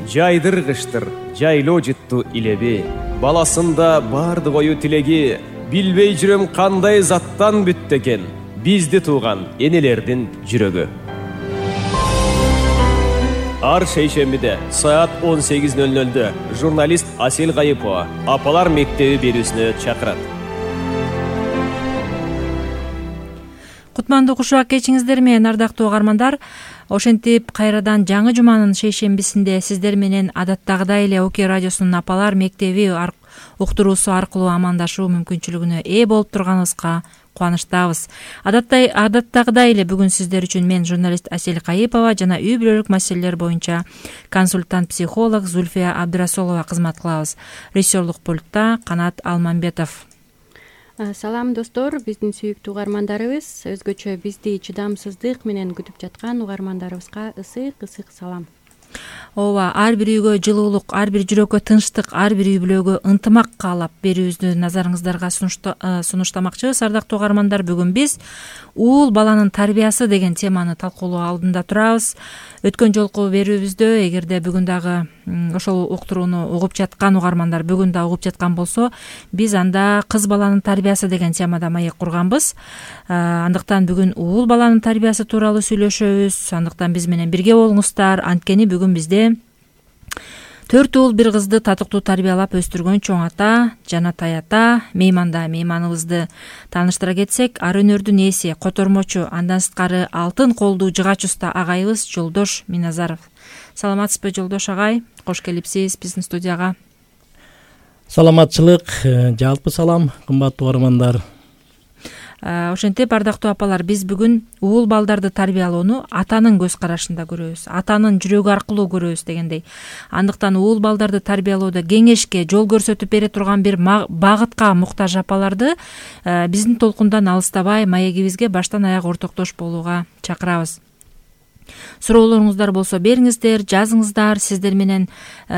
жайдыргычтыр жайлоо жыттуу илеби, баласында бардык ою тилеги. Билбей жүрөм кандай заттан бүттү экен бизди тууган энелердин жүрөгү. Ар шейшембиде саат 18:00 журналист Асел Кайыпова Апалар мектеби берүүсүнө чакырат. Кутмандуу кушак кечиңиздер менен, ардактуу угармандар. Ошентип кайрадан жаңы жуманын шейшембисинде сиздер менен адаттагыдай эле ОК радиосунун Апалар мектеби уктуруусу аркылуу амандашуу мүмкүнчүлүгүнө ээ болуп турганыбызга кубанычтабыз. Адаттагыдай эле бүгүн сиздер үчүн мен журналист Асел Кайыпова жана үй бүлөлүк маселелер боюнча консультант психолог Зульфия Абдырасулова кызмат кылабыз. Режиссерлук пультта Канат Алмамбетов. Салам достор, биздин сүйүктүү угармандарыбыз, өзгөчө бизди чыдамсыздык менен күтүп жаткан угармандарыбызга ысык салам. Ооба, ар бир үйгө жылуулук, ар бир жүрөккө тынчтык, ар бир үй бүлөгө ынтымак каалап берүүбүздү назарыңыздарга сунуштамакчыбыз. Ардактуу угармандар, бүгүн биз уул баланын тарбиясы деген теманы талкуулоо алдында турабыз. Өткөн жолку берүүбүздө, эгерде бүгүн дагы ошол уктурууну угуп жаткан угармандар бүгүн да угуп жаткан болсо, биз анда кыз баланын тарбиясы деген темада маек курганбыз. Андыктан бүгүн уул баланын тарбиясы тууралуу сүйлөшөбүз. Андыктан биз менен бирге болуңуздар. Анткени бүгүн бизде 4 уул бир кызды татыктуу тарбиялап өстүргөн чоң ата, Жанатай ата мейманыбызды тааныштыра кетсек, ар өнөрдүн ээси, котормочу, андан сырткары алтын колдуу жыгач уста агайыбыз Жолдош Миназаров. Саламатсызбы, Жолдош агай? Кош келипсиз биздин студияга. Саламатчылык, жалпы салам, кымбаттуу угармандар. Ошентип, ардактуу апалар, биз бүгүн уул балдарды тарбиялоону атанын көз карашында көрөбүз, атанын жүрөгү аркылуу көрөбүз дегендей. Андыктан уул балдарды тарбиялоодо кеңешке, жол көрсөтүп бере турган бир багытка муктаж апаларды биздин толкундан алыстабай маегибизге баштан аяк ортоктош болууга чакырабыз. Суроолоруңуздар болсо бериңиздер, жазыңыздар. Сиздер менен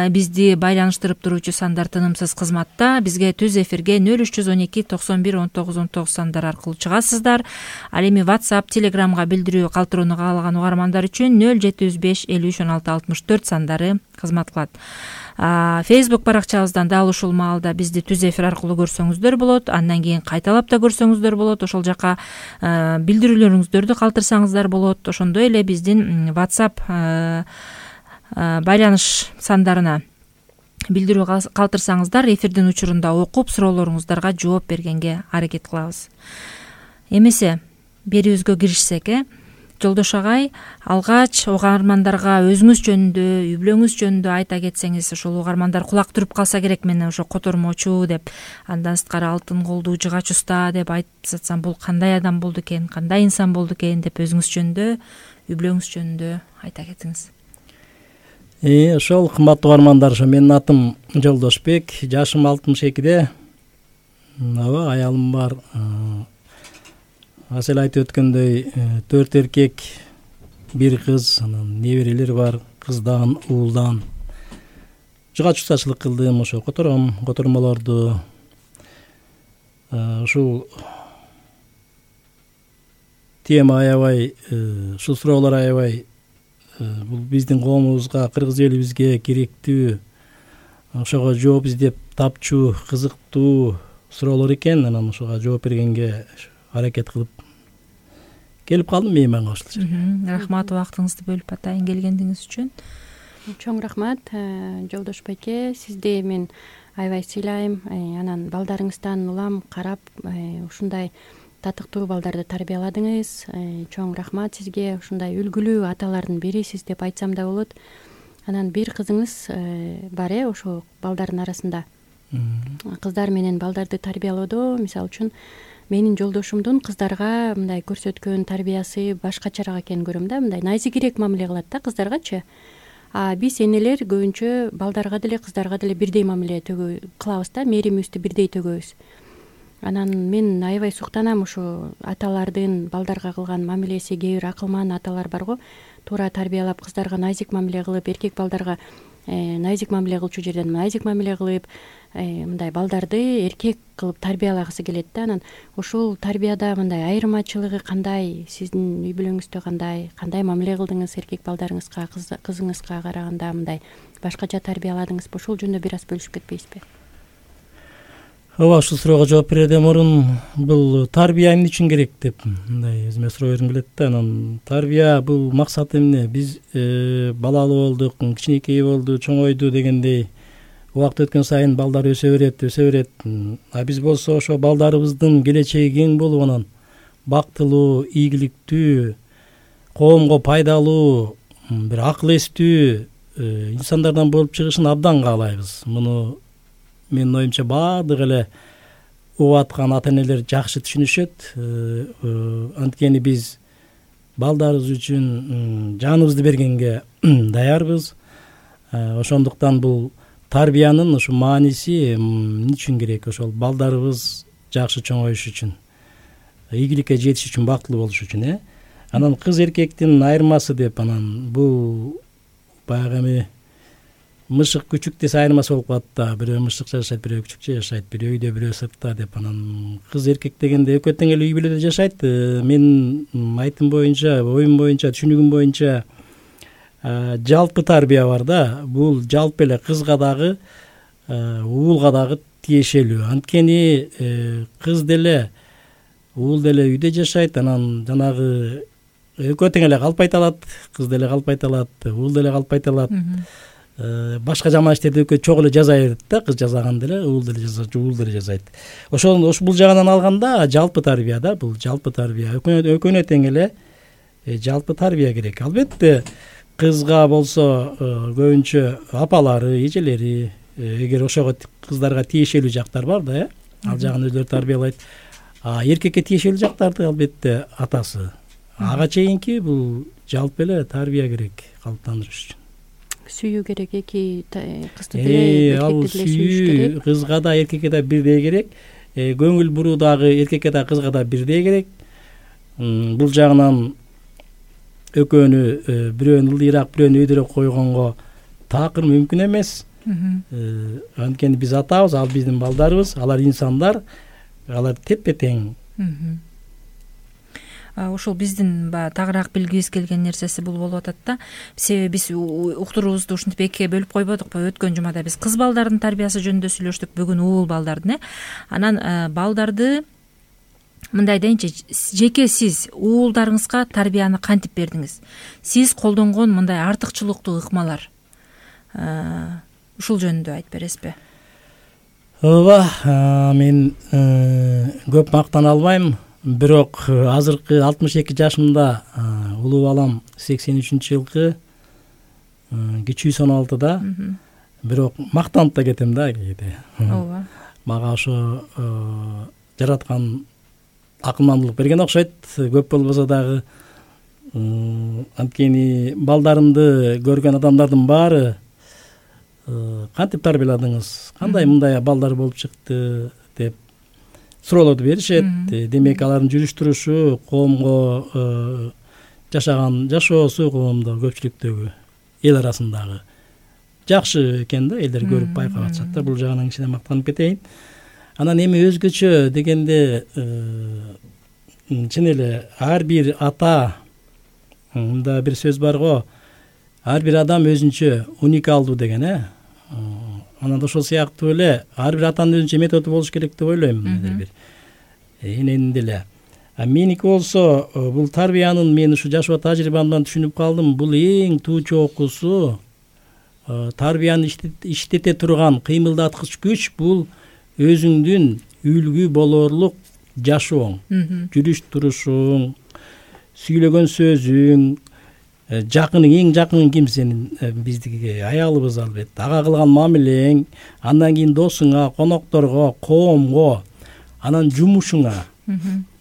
бизди байланыштырып туруучу сандар тынымсыз кызматта. Бизге түз эфирге 0312 91 19 19 сандар аркылуу чыгасыздар. Ал эми WhatsApp, Telegramга билдирүү калтырууну каалаган угармандар үчүн 075 53 16 64 сандары кызмат кылат. Facebook баракчабыздан дал ушул маалда бизди түз эфир аркылуу көрсөңүздөр болот. Андан кийин кайталап да көрсөңүздөр болот. Ошол жака билдирүүлөрүңүздөрдү калтырсаңыздар болот. Ошондой эле биздин WhatsApp байланыш сандарына билдирүү калтырсаңыздар, эфирдин учурунда окуп, суроолоруңуздарга жооп бергенге аракет кылабыз. Эмесе берүүбүзгө киришсек, Жолдош агай, алгач угармандарга өзүңүз жөнүндө, үй бүлөңүз жөнүндө айта кетсеңиз, ошол угармандар кулак туруп калса керек, мен ошо котормочу деп, андан сырткары алтын колдуу жыгач уста деп айтып жатсам, бул кандай адам болду экен, кандай инсан болду экен деп өзүңүз жөнүндө, үй бүлөңүз жөнүндө айта кетиңиз. Ошол кымбаттуу угармандар, менин атым Жолдошбек, жашым 62-де. Аба, аялым бар. Асел айтып өткөндөй 4 эркек, 1 кыз, анан неберелер бар, кыздан, уулдан. Жыгач устачылык кылдым, ошо котормолорду. Ушул тема аябай, ушул суроолор аябай бул биздин коомубузга, кыргыз элибизге керектүү, ошого жооп издеп тапчу, кызыктуу суроолор экен. Анан ошого жооп бергенге аракет кылып келип калдым мейманга ушулча. Рахмат, убактыңызды бөлүп атайын келгениңиз үчүн. Чоң рахмат, Жолдош байке, сизди мен аябай сыйлайм. Анан балдарыңыздан улам карап, ушундай татыктуу балдарды тарбияладыңыз. Чоң рахмат сизге. Ушундай үлгүлүү аталардын бирисиз деп айтсам да болот. Анан бир кызыңыз бар, ошо балдардын арасында. Кыздар менен балдарды тарбиялоодо, мисалы үчүн, менин жолдошумдун кыздарга мындай көрсөткөн тарбиясы башкачараак экенин көрөм да, мындай назигирээк мамиле кылат да кыздаргачы. Биз энелер көбүнчө балдарга деле кыздарга деле бирдей мамиле кылабыз да, мээримибизди бирдей төгөбүз. Анан мен аябай суктанам ушу аталардын балдарга кылган мамилеси. Кээ бир акылман аталар бар го, туура тарбиялап кыздарга назик мамиле кылып, эркек балдарга назик мамиле кылчу жерден назик мамиле кылып, мындай балдарды эркек кылып тарбиялагысы келет да. Анан ушул тарбияда мындай айырмачылыгы кандай, сиздин үй бүлөңүздө кандай мамиле кылдыңыз эркек балдарыңызга, кызыңызга караганда мындай башкача тарбияладыңызбы? Ушул жөнүндө бир аз бөлүшүп кетпейсизби? Ооба, ушул суроого жооп берүүдөн мурун бул тарбия эмне үчүн керек деп мындай өзүмө суроо бергим келет да. Анан тарбия бул максаты эмне? Биз балалуу болдук, кичинекей болду, чоңойду дегендей убакыт өткөн сайын балдар өсө берет. А биз болсо ошо балдарыбыздын келечеги кең болуп, анан бактылуу, ийгиликтүү, коомго пайдалуу, бир акыл эстүү инсандардан болуп чыгышын абдан каалайбыз. Муну менин оюмча баардык эле угуп аткан ата энелер жакшы түшүнүшөт. Анткени биз балдарыбыз үчүн жаныбызды бергенге даярбыз. Ошондуктан бул тарбиянын ушу мааниси эмне үчүн керек? Ошол балдарыбыз жакшы чоңоюш үчүн, ийгиликке жетиш үчүн, бактылуу болуш үчүн. Анан кыз эркектин айырмасы деп, анан бул баягы эми мышык күчүк десе айырмасы болуп калат да. Бирөө мышыкча жашайт, бирөө күчүкчө жашайт, бирөө үйдө, бирөө сыртта деп. Анан кыз эркек дегенде экөө тең эле үй бүлөдө жашайт. Менин айтым боюнча, оюм боюнча, түшүнүгүм боюнча жалпы тарбия бар да. Бул жалпы эле кызга дагы, уулга дагы тиешелүү. Анткени кыз деле, уул деле үйдө жашайт. Анан жанагы экөө тең эле калп айта алат, кыз деле калп айта алат, уул деле калп айта алат. Башка жаман иштерди экөө чогуу эле жаза берет да. Кыз жазаган деле уул деле жазат, уул деле жазайт. Ошол бул жагынан алганда жалпы тарбия да, бул жалпы тарбия. Экөөнө тең эле жалпы тарбия керек. Албетте кызга болсо көбүнчө апалары, эжелери, эгер ошого кыздарга тиешелүү жактар бар да, ал жагын өзлөрү тарбиялайт. Эркекке тиешелүү жактарды албетте атасы. Ага чейинки бул жалпы эле тарбия керек калыптандырыш үчүн. Сүйүү керек, эки кызды деле, эркекти деле сүйүш керек. Кызга да эркекке да бирдей керек. Көңүл буруу дагы эркекке да кызга да бирдей керек. Бул жагынан экөөнү, бирөөнү ылдыйраак, бирөөнү өйдөрөөк койгонго такыр мүмкүн эмес. Анткени биз атабыз, ал биздин балдарыбыз, алар инсандар, алар тепе тең. Ошол биздин тагыраак билгибиз келген нерсеси бул болуп атат да. Себеби биз уктуруубузду ушинтип экиге бөлүп койбодукпу? Өткөн жумада биз кыз балдардын тарбиясы жөнүндө сүйлөштүк, бүгүн уул балдардын. Анан балдарды мындай дейинчи, жеке сиз уулдарыңызга тарбияны кантип бердиңиз? Сиз колдонгон мындай артыкчылыктуу ыкмалар ушул жөнүндө айтып бересизби? Ооба, мен көп мактана албайм. Бирок азыркы 62 жашымда улуу балам 83-жылкы кичүү 16-да. Бирок мактанып да кетем да кээде. Ооба. Мага ошо жараткан акылмандуулук берген окшойт, көп болбосо дагы. Анткени балдарымды көргөн адамдардын баары кантип тарбияладыңыз, кандай мындай балдар болуп чыкты деп суроолорду беришет. Демек алардын жүрүш турушу, коомго жашаган жашоосу, коомдо көпчүлүктөгү эл арасындагы жакшы экен да, элдер көрүп байкап атышат да. Бул жагынан кичине мактанып кетейин. Анан эми өзгөчө дегенде чын эле ар бир ата, мында бир сөз бар го, ар бир адам өзүнчө уникалдуу деген. Анан ошол сыяктуу эле ар бир атанын өзүнчө методу болуш керек деп ойлойм. Эненин деле. Меники болсо бул тарбиянын, мен ушу жашоо тажрыйбамдан түшүнүп калдым, бул эң туу чокусу, тарбияны иштете турган кыймылдаткыч күч бул өзүңдүн үлгү болорлук жашооң, жүрүш турушуң, сүйлөгөн сөзүң, жакының, эң жакының ким сенин? Биздики аялыбыз албетте. Ага кылган мамилең, андан кийин досуңа, конокторго, коомго, анан жумушуңа,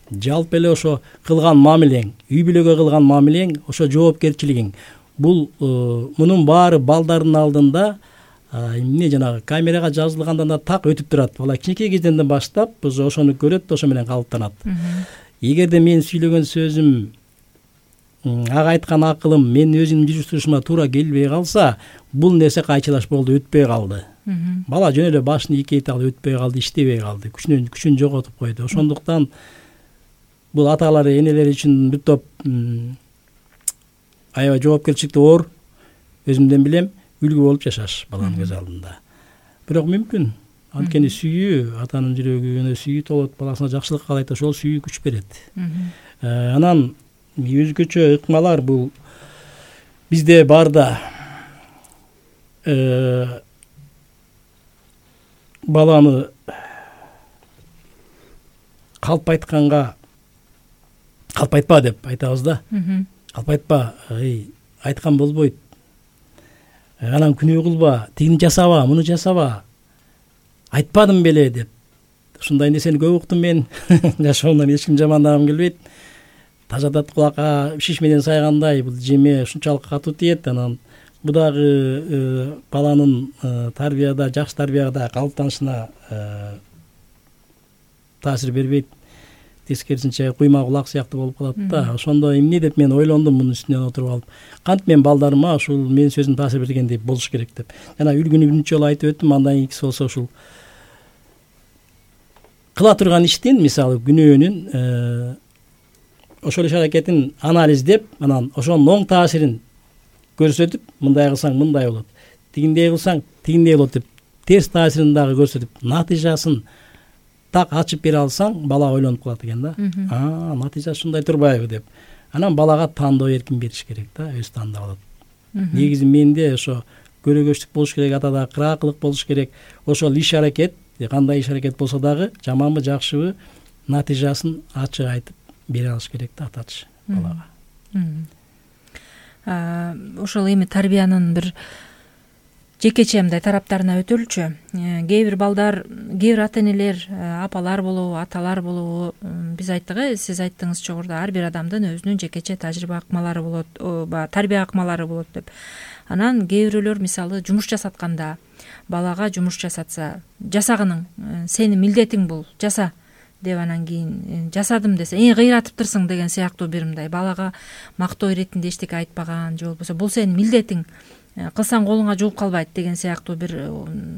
жалпы эле ошо кылган мамилең, үй бүлөгө кылган мамилең, ошо жоопкерчилигиң. Бул мунун баары балдардын алдында эмне жанагы камерага жазылгандан да так өтүп турат. Бала кичинекей кезден баштап ошону көрөт, ошо менен калыптанат. Эгерде мен сүйлөгөн сөзүм ага айткан акылым менин өзүмдүн жүрүш-турушума туура келбей калса, бул нерсе кайчылаш болду, өтпөй калды. Бала жөн эле башын ийкейтип алып өтпөй калды, иштебей калды, күчүн жоготуп койду. Ошондуктан бул аталары, энелери үчүн бир топ аябай жоопкерчиликтүү оор, өзүмдөн билем, үлгү болуп жашаш баланын көз алдында. Бирок мүмкүн, анткени сүйүү, атанын жүрөгүнө сүйүү толот, баласына жакшылык каалайт, ошол сүйүү күч берет. Анан өзгөчө ыкмалар бул бизде бар да. Баланы калпайтканга калпайтпа деп айтабыз да. Калпайтпа, айткан болбойт. Анан күнөө кылба, тигини жасаба, муну жасаба. Айтпадым беле деп. Ушундай нерсени көп уктум мен. Жашоомдон эч ким жамандагым келбейт. Тажатат кулакка шиш менен сайгандай, бул жеме ушунчалык катуу тиет. Анан бу дагы баланын тарбияда, жакшы тарбияда калыптанышына таасир бербейт. Тескерисинче куйма кулак сыяктуу болуп калат да. Ошондо эмне деп мен ойлондум мунун үстүнөн отуруп алып. Кантип мен балдарыма ушул менин сөзүм таасир бергендей болуш керек деп. Жана үлгүнү биринчи жолу айтып өттүм, андан кийинкиси болсо ушул кыла турган иштин, мисалы күнөөнүн ошол иш аракетин анализдеп, анан ошонун оң таасирин көрсөтүп, мындай кылсаң мындай болот, тигиндей кылсаң тигиндей болот деп, терс таасирин дагы көрсөтүп, натыйжасын так ачып бере алсаң, бала ойлонуп калат экен да. Натыйжа ушундай турбайбы деп. Анан балага тандоо эркин бериш керек да, өзү тандап алат. Негизи менде ошо көрөгөчтүк болуш керек, атада кыраакылык болуш керек. Ошол иш аракет, кандай иш аракет болсо дагы, жаманбы, жакшыбы, натыйжасын ачык айтып бере алыш керек да атачы балага. Ошол эми тарбиянын бир жекече мындай тараптарына өтөлүчү. Кээ бир балдар, кээ бир ата-энелер, апалар болобу, аталар болобу, биз айттык, сиз айттыңыз жогоруда, ар бир адамдын өзүнүн жекече тажрыйба акмалары болот, тарбия акмалары болот деп. Анан кээ бирөөлөр мисалы жумуш жасатканда, балага жумуш жасатса, жасагының, сенин милдетиң бул, жаса деп, анан кийин жасадым десе, кыйратыптырсың деген сыяктуу бир мындай балага мактоо иретинде эчтеке айтпаган, же болбосо бул сенин милдетиң, кылсаң колуңа жууп калбайт деген сыяктуу бир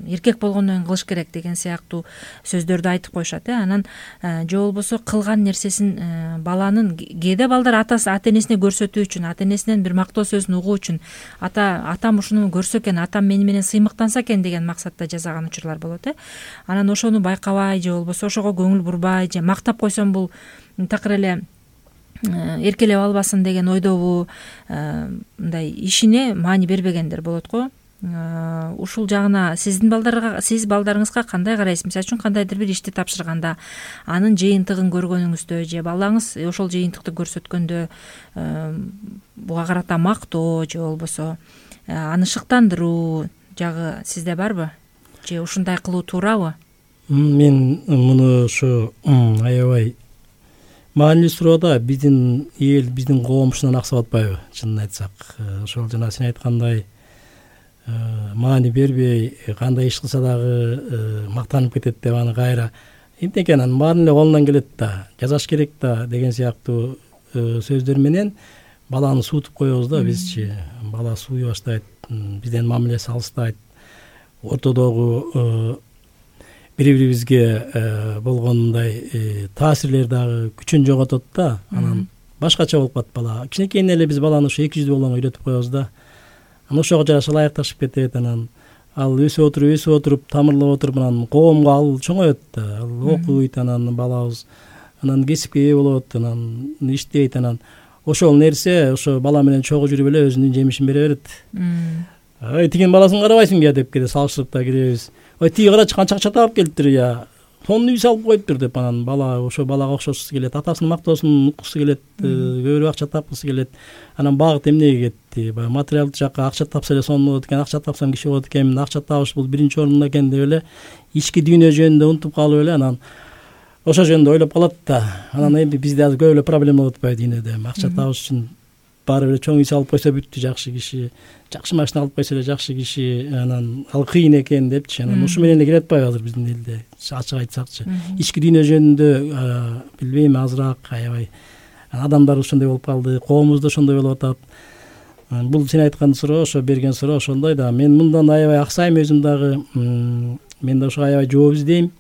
эркек болгондон кийин кылыш керек деген сыяктуу сөздөрдү айтып коюшат. Анан же болбосо кылган нерсесин баланын, кээде балдар ата-энесине көрсөтүү үчүн, ата-энесинен бир мактоо сөзүн угуу үчүн, атам ушуну көрсө экен, атам мени менен сыймыктанса экен деген максатта жасаган учурлар болот. Анан ошону байкабай, же болбосо ошого көңүл бурбай, же мактап койсом бул такыр эле эркелеп албасын деген ойдобу, мындай ишине маани бербегендер болот го. Ушул жагына сиз балдарыңызга кандай карайсыз? Мисалы үчүн кандайдыр бир ишти тапшырганда, анын жыйынтыгын көргөнүңүздө, же балаңыз ошол жыйынтыкты көрсөткөндө буга карата мактоо, же болбосо аны шыктандыруу жагы сизде барбы? Же ушундай кылуу туурабы? Мен муну ушу аябай маанилүү суроо да. Биздин эл, биздин коом ушундан аксап атпайбы, чынын айтсак. Ошол жана сен айткандай маани бербей, кандай иш кылса дагы мактанып кетет деп, аны кайра эмне экен, анын баарын эле колунан келет да, жасаш керек да деген сыяктуу сөздөр менен баланы суутуп коебуз да бизчи. Бала сууй баштайт, бизден мамилеси алыстайт, ортодогу бири-бирибизге болгондой таасирлер дагы күчүн жоготот да. Анан башкача болуп калат бала. Кичинекейинен эле биз баланы ушу эки жүздүү болгонго үйрөтүп коебуз да. Анан ошого жараша ылайыкташып кетет. Анан ал өсүп отуруп, тамырлап отуруп, анан коомго ал чоңоет да. Ал окуйт, анан балабыз анан кесипке ээ болот, анан иштейт. Анан ошол нерсе ошо бала менен чогуу жүрүп эле өзүнүн жемишин бере берет. Тигинин баласын карабайсыңбы я деп салыштырып да киребиз. Тиги карачы канча акча таап келиптир, я сонун үй салып коюптур деп, анан бала ошо балага окшошусу келет, атасынын мактоосун уккусу келет, көбүрөөк акча тапкысы келет. Анан багыт эмнеге кетти? Баягы материалдык жакка акча тапса эле сонун болот экен, акча тапсам киши болот экенмин, акча табыш бул биринчи орунда экен деп эле ички дүйнө жөнүндө унутуп калып эле анан ошол жөнүндө ойлоп калат да. Анан эми бизде азыр көп эле проблема болуп атпайбы дүйнөдө? Акча табыш үчүн баары бир чоң үй салып койсо бүттү, жакшы киши, жакшы машина алып койсо эле жакшы киши, анан ал кыйын экен депчи. Анан ушу менен эле келе атпайбы азыр биздин элде, ачык айтсакчы. Ички дүйнө жөнүндө билбейм, азыраак аябай адамдар ошондой болуп калды, коомубузда ошондой болуп атат. Бул сен айткан суроо, ошо берген суроо ошондой да. Мен мындан аябай аксайм өзүм дагы. Мен да ошо аябай жооп издейм.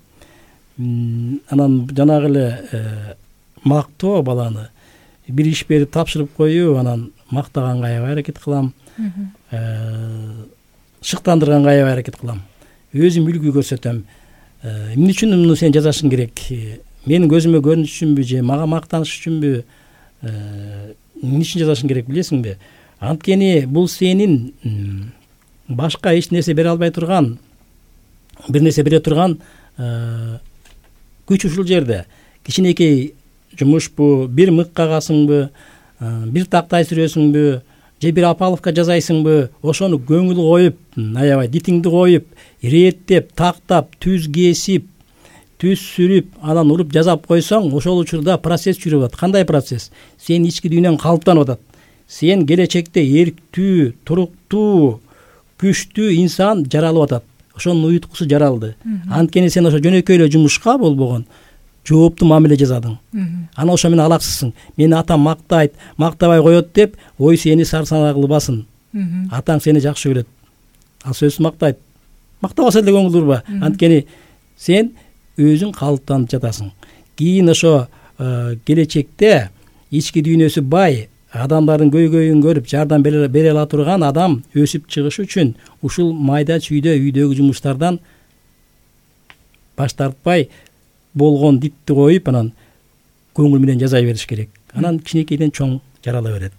Анан жанагы эле мактоо баланы бир иш берип тапшырып коюу, анан мактаганга аябай аракет кылам, шыктандырганга аябай аракет кылам, өзүм үлгү көрсөтөм. Эмне үчүн муну сен жасашың керек, менин көзүмө көрүнүш үчүнбү же мага мактаныш үчүнбү, эмне үчүн жасашың керек билесиңби? Анткени бул сенин башка эч нерсе бере албай турган, бир нерсе бере турган күч ушул жерде. Кичинекей жумушпу, бир мык кагасыңбы, бир тактай сүрөсүңбү, же бир апаловка жасайсыңбы, ошону көңүл коюп, аябай дитиңди коюп, иреттеп, тактап, түз кесип, түз сүрүп, анан уруп жасап койсоң, ошол учурда процесс жүрүп атат. Кандай процесс? Сен ички дүйнөң калыптанып атат. Сен келечекте эрктүү, туруктуу, күчтүү инсан жаралып атат. Ошонун уюткусу жаралды. Анткени сен ошо жөнөкөй эле жумушка болбогон жооптуу мамиле жасадың. Анан ошо менен алаксызсың. Мени атам мактайт, мактабай коет деп, ой сени сарсанаа кылбасын. Атаң сени жакшы көрөт. Ал сөзсүз мактайт. Мактабаса деле көңүл урба. Анткени сен өзүң калыптанып жатасың. Кийин ошо келечекте ички дүйнөсү бай, адамдардын көйгөйүн көрүп жардам бере ала турган адам өсүп чыгыш үчүн ушул майда чүйдө үйдөгү жумуштардан баш тартпай болгон дитти коюп, анан көңүл менен жасай бериш керек. Анан кичинекейден чоң жарала берет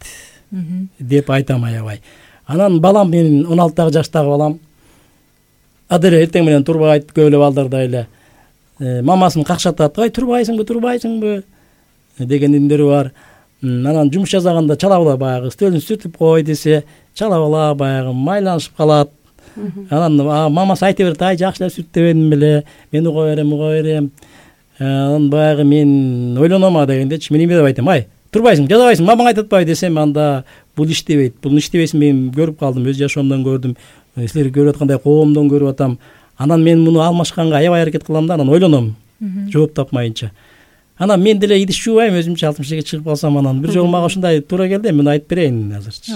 деп айтам аябай. Анан балам, менин 16 жаштагы балам деле эртең менен турбайт, көп эле балдардай эле мамасын какшатат, ой турбайсыңбы деген үндөрү бар. Анан жумуш жасаганда чала бала баягы стөлүн сүртүп кой десе, чала бала баягы майланышып калат. Анан мамасы айта берет, ай жакшы эле сүртпедим беле, мен уга берем. Анан баягы мен ойлоном дегендечи, мен эме деп айтам, ай турбайсың, жазабайсың, мамаң айтып атпайбы десем, анда бул иштебейт. Бул иштебесин мен көрүп калдым, өз жашоомдон көрдүм, силер көрүп аткандай коомдон көрүп атам. Анан мен муну алмашканга аябай аракет кылам да, анан ойлоном, жооп тапмайынча. Анан мен деле идиш жуубайм, өзүмчө 60-ге чыгып калсам, анан бир жолу мага ушундай туура келди, мен айтып берейин азырчы.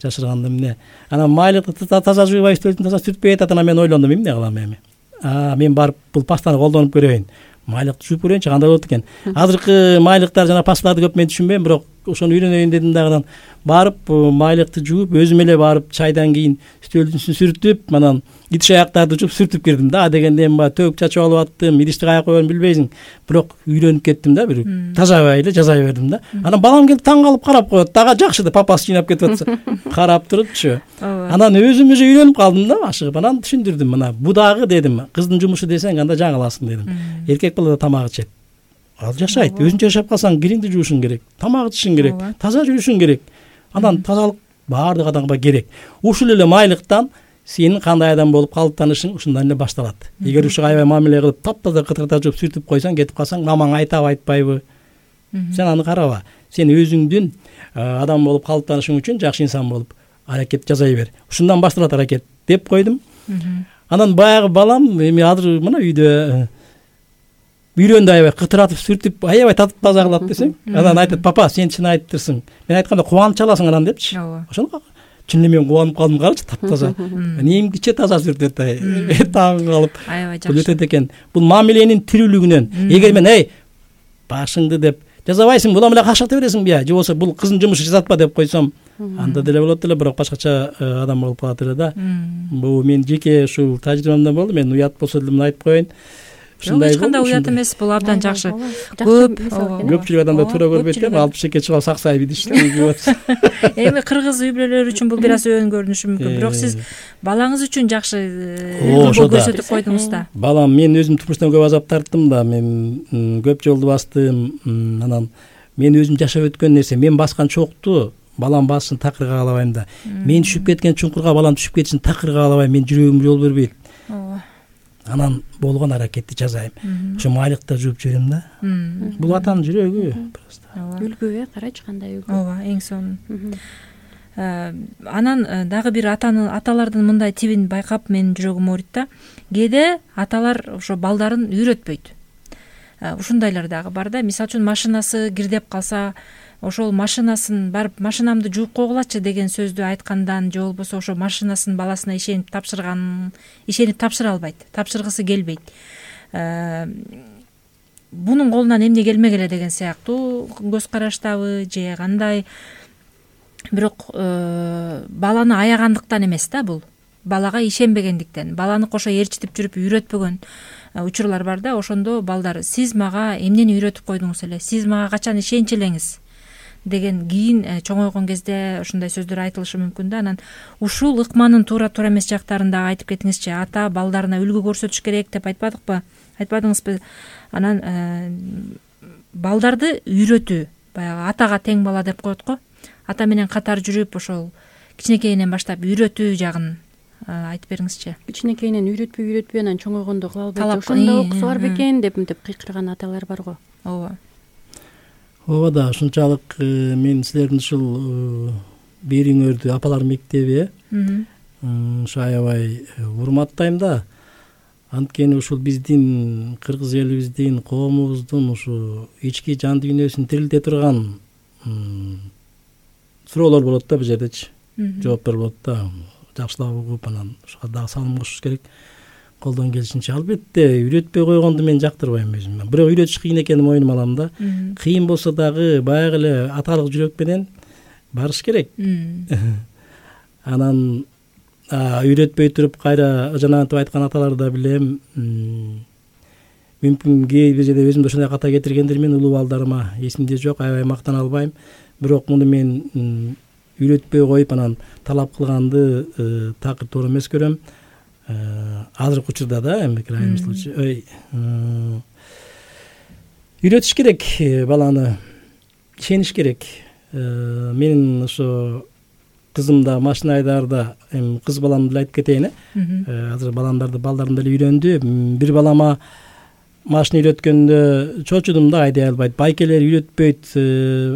Жашырганда эмне. Анан майлыкты таза жуубай, стөлдүн таза сүртпөй атат, анан мен ойлондум, эмне кылам эми. Мен барып бул пастаны колдонуп көрөйүн. Майлыкты жууп көрөйүнчү, кандай болот экен. Азыркы майлыктар жана пасталарды көп мен түшүнбөйм, бирок ошону үйрөнөйүн дедим дагы. Барып майлыкты жууп, өзүм эле барып чайдан кийин стөлдүн үстүн сүртүп, анан идиш аяктарды жууп сүртүп кирдим да. Дегенде эми төгүп чачып алып аттым, идишти каяка коерун билбейсиң. Бирок үйрөнүп кеттим да, бир тазабай эле жасай бердим да. Анан балам келип таң калып карап коет, дагы жакшы деп папасы жыйнап кетип атса, карап турупчу. Анан өзүм уже үйрөнүп калдым да, ашыгып. Анан түшүндүрдүм, мына бу дагы дедим, кыздын жумушу десең анда жаңыласың дедим. Эркек бала да тамак ичет. Ал жашайт, өзүнчө жашап калсаң кириңди жуушуң керек, тамак ичишиң керек, таза жүрүшүң керек. Анан тазалык баардык адамга керек. Ушул эле майлыктан сенин кандай адам болуп калыптанышың ушундан эле башталат. Эгер ушуга аябай мамиле кылып, таптаза кытырта жууп сүртүп койсоң, кетип калсаң, мамаң айтабы айтпайбы? Сен аны караба. Сен өзүңдүн адам болуп калыптанышың үчүн жакшы инсан болуп аракет жасай бер. Ушундан башталат аракет деп койдум. Анан баягы балам эми азыр мына үйдө үйрөндү, аябай кытыратып сүртүп, аябай татып таза кылат десең. Анан айтат, папа, сен чын айтыптырсың. Мен айтканда кубанып чаласың анан депчи. Ошону чын эле мен кубанып калдым, карачы, таптаза. Эмгиче таза сүртөт, таң калып. Аябай жакшы. Бул өтөт экен. Бул мамиленин тирүүлүгүнөн. Эгер мен, башыңды деп жазабайсың, будан эле какшата бересиңби, же болбосо бул кыздын жумушу жасатпа деп койсом, анда деле болот эле, бирок башкача адам болуп калат эле да. Бул мен жеке ушул тажрыйбамдан болду, мен уят болсо деле муну айтып коеюн. Эч кандай уят эмес, бул абдан жакшы. Көпчүлүк адамдар туура көрбөйт да, 62 чыгып саксайып идишти. Эми кыргыз үй бүлөлөр үчүн бул бир аз өөн көрүнүшү мүмкүн, бирок сиз балаңыз үчүн жакшы көрсөтүп койдуңуз да. Балам, мен өзүм турмуштан көп азап тарттым да, мен көп жолду бастым. Анан мен өзүм жашап өткөн нерсе, мен баскан чокту балам бассын, такырга каалабайм да. Мен түшүп кеткен чуңкурга балам түшүп кетишин такырга каалабайм, мен жүрөгүм жол бербейт. Анан болгон аракетти жасайм. Ошо майлыкта жууп жиберем да. Бул атанын жүрөгү просто. Үлгү, карачы кандай үлгү. Ооба, эң сонун. Анан дагы бир аталардын мындай тибин байкап менин жүрөгүм ооруйт да. Кээде аталар ошо балдарын үйрөтпөйт. Ушундайлар дагы бар да. Мисалы үчүн машинасы кирдеп калса, ошол машинасын барып машинамды жууп койгулачы деген сөздү айткандан же болбосо ошо машинасын баласына ишенип тапшыра албайт, тапшыргысы келбейт. Бунун колунан эмне келмек эле деген сыяктуу көз караштабы же кандай. Бирок баланы аягандыктан эмес да, бул балага ишенбегендиктен, баланы кошо ээрчитип жүрүп үйрөтпөгөн учурлар бар да. Ошондо балдар сиз мага эмнени үйрөтүп койдуңуз эле, сиз мага качан ишенчү элеңиз деген кийин чоңойгон кезде ушундай сөздөр айтылышы мүмкүн да. Анан ушул ыкманын туура эмес жактарын дагы айтып кетиңизчи. Ата балдарына үлгү көрсөтүш керек деп айтпадыңызбы? Анан балдарды үйрөтүү, баягы атага тең бала деп коет го, ата менен катар жүрүп ошол кичинекейинен баштап үйрөтүү жагын айтып бериңизчи. Кичинекейинен үйрөтпөй анан чоңойгондо кыла албайт, ошондо окусу бар бекен деп кыйкырган аталар бар го. Ооба да, ушунчалык мен силердин ушул бириңөрдү апалар мектеби ушу аябай урматтайм да. Анткени ушул биздин кыргыз элибиздин, коомубуздун ушу ички жан дүйнөсүн тирилте турган суроолор болот да, бул жердечи. Жооптор болот да. Жакшылап угуп, анан ушуга дагы салым кошуш керек. Колдон келишинче. Албетте, үйрөтпөй койгонду мен жактырбайм өзүм. Бирок үйрөтүш кыйын экенин мойнума алам да. Кыйын болсо дагы баягы эле аталык жүрөк менен барыш керек. Анан үйрөтпөй туруп кайра жанагынтип айткан аталарды да билем. Мүмкүн кээ бир жерде өзүмдү ошондой ката кетиргендирмин, улуу балдарыма эсимде жок, аябай мактана албайм. Бирок муну мен үйрөтпөй коюп анан талап кылганды такыр туура эмес көрөм. Азыркы учурда да, эми крайний случай үйрөтүш керек баланы, ишениш керек. Менин ошо кызым да машина айдаарда, эми кыз баламды деле айтып кетейин. Азыр балдарым деле үйрөндү. Бир балама машина үйрөткөндө чочудум да, айдай албайт. Байкелер үйрөтпөйт,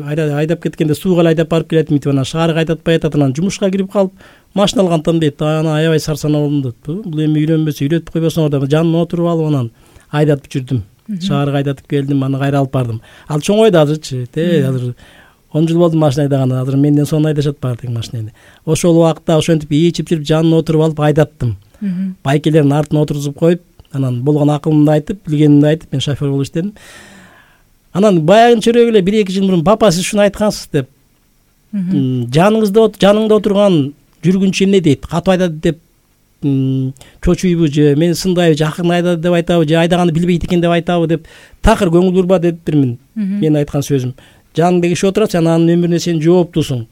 айдап кеткенде сууга айдап барып келет, митип анан шаарга айдатпай атат, анан жумушка кирип калып машина алгантан дейт. Анан аябай сарсанаа болдум дейт. Бул эми үйрөнбөсө үйрөтүп койбосоңор деп жанына отуруп алып анан айдатып жүрдүм. Шаарга айдатып келдим, анан кайра алып бардым. Ал чоңойду азырчы, азыр 10 жыл болду машина айдаганда, азыр менден сонун айдашат баары тең машинени. Ошол убакта ошентип ичип жүрүп жанына отуруп алып айдаттым. Байкелердин артына отургузуп коюп, анан болгон акылымды айтып, билгенимди айтып, мен шофер болуп иштедим. Анан баягынчерөөк эле 1-2 жыл мурун папа сиз ушуну айткансыз деп. Жаныңда отурган жүргүнчү эмне дейт? Катуу айдады деп чочуйбу же мени сындайбы, же акырын айдады деп айтабы, же айдаганды билбейт экен деп айтабы деп такыр көңүл бурба дептирмин. Мен айткан сөзүм. Жаныңда киши отурат, сен анын өмүрүнө сен жооптусуң.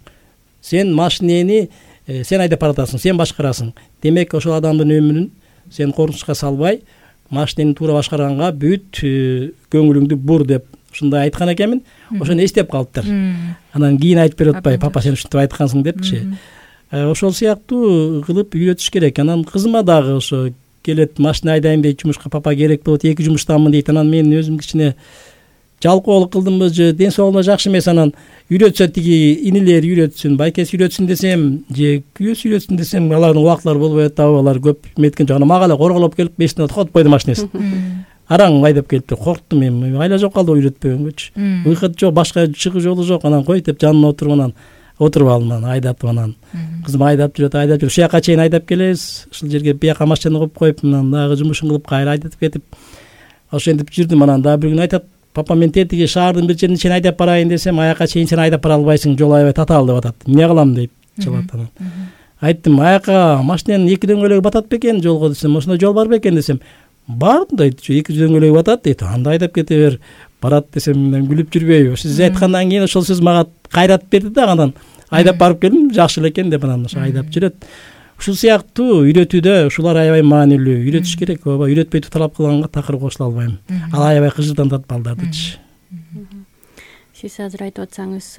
Сен машинени сен айдап баратасың, сен башкарасың. Демек ошол адамдын өмүрүн сен коркунучка салбай, машинени туура башкарганга бүт көңүлүңдү бур деп ушундай айткан экенмин. Ошону эстеп калыптыр. Анан кийин айтып берип атпай, папа сен ушинтип айткансың депчи. Ошол сыяктуу кылып үйрөтүш керек. Анан кызыма дагы ошо келет, машина айдайм дейт, жумушка папа керек болот, 2 жумуштамын дейт. Анан мен өзүм кичине жалкоолук кылдымбы же ден соолугуна жакшы эмес, анан үйрөтсө тиги инилер үйрөтсүн, байкеси үйрөтсүн десем, же күйөөсү үйрөтсүн десем, алардын убактылары болбой атабы, алар көп меткен жок. Мага эле корголоп келип 5 минут токотуп койду машинесин. Араң айдап келиптир, корктум мен. Айла жок калды үйрөтпөгөнгөчү. Выход жок, башка чыгуу жолу жок. Анан кой деп жанына отуруп алдым, анан айдатып, анан кызым айдап жүрөт. Ушул жака чейин айдап келебиз. Ушул жерге бияка машинаны коюп коюп, анан дагы жумушун кылып кайра айдатып кетип, ошентип жүрдүм. Анан дагы бир күн айтат, папа мен тетиги шаардын бир жерине чейин айдап барайын десем, аяка чейин сен айдап бара албайсың, жол аябай татаал деп атат. Эмне кылам дейт, чылат анан. Айттым, аяка машинанын 2 дөңгөлөгү батат бекен жолго десем, ошондой жол бар бекен десем, бар дейт, 2 дөңгөлөгү батат дейт. Анда айдап кете бер, барат десем, мен күлүп жүрбөйбү. Сиз айткандан кийин ошол сөз мага кайрат берди да, анан айдап барып келдим, жакшы эле экен деп анан ошо айдап жүрөт. Ушул сыяктуу үйрөтүүдө ушулар аябай маанилүү. Үйрөтүш керек, ооба, үйрөтпөй талап кылганга такыр кошула албайм. Ал аябай кыжыртантат балдардычы. Сиз азыр айтып атсаңыз,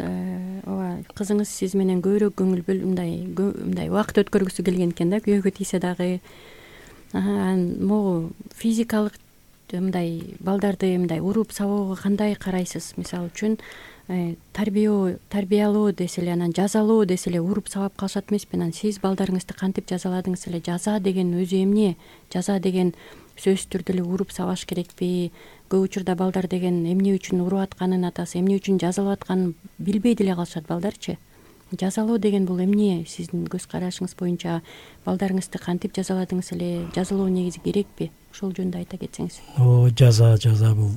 ооба, кызыңыз сиз менен көбүрөөк көңүл бөлүп, мындай убакыт өткөргүсү келген экен да, күйөөгө тийсе дагы. Могу физикалык мындай балдарды мындай уруп сабоого кандай карайсыз? Мисалы үчүн тарбиялоо десе эле, анан жазалоо десе эле уруп сабап калышат эмеспи? Анан сиз балдарыңызды кантип жазаладыңыз эле? Жаза деген өзү эмне? Жаза деген сөзсүз түрдө эле уруп сабаш керекпи? Көп учурда балдар деген эмне үчүн уруп атканын, атасы эмне үчүн жазалап атканын билбей деле калышат балдарчы. Жазалоо деген бул эмне? Сиздин көз карашыңыз боюнча балдарыңызды кантип жазаладыңыз эле? Жазалоо негизи керекпи? Ошол жөнүндө айта кетсеңиз. Жаза бул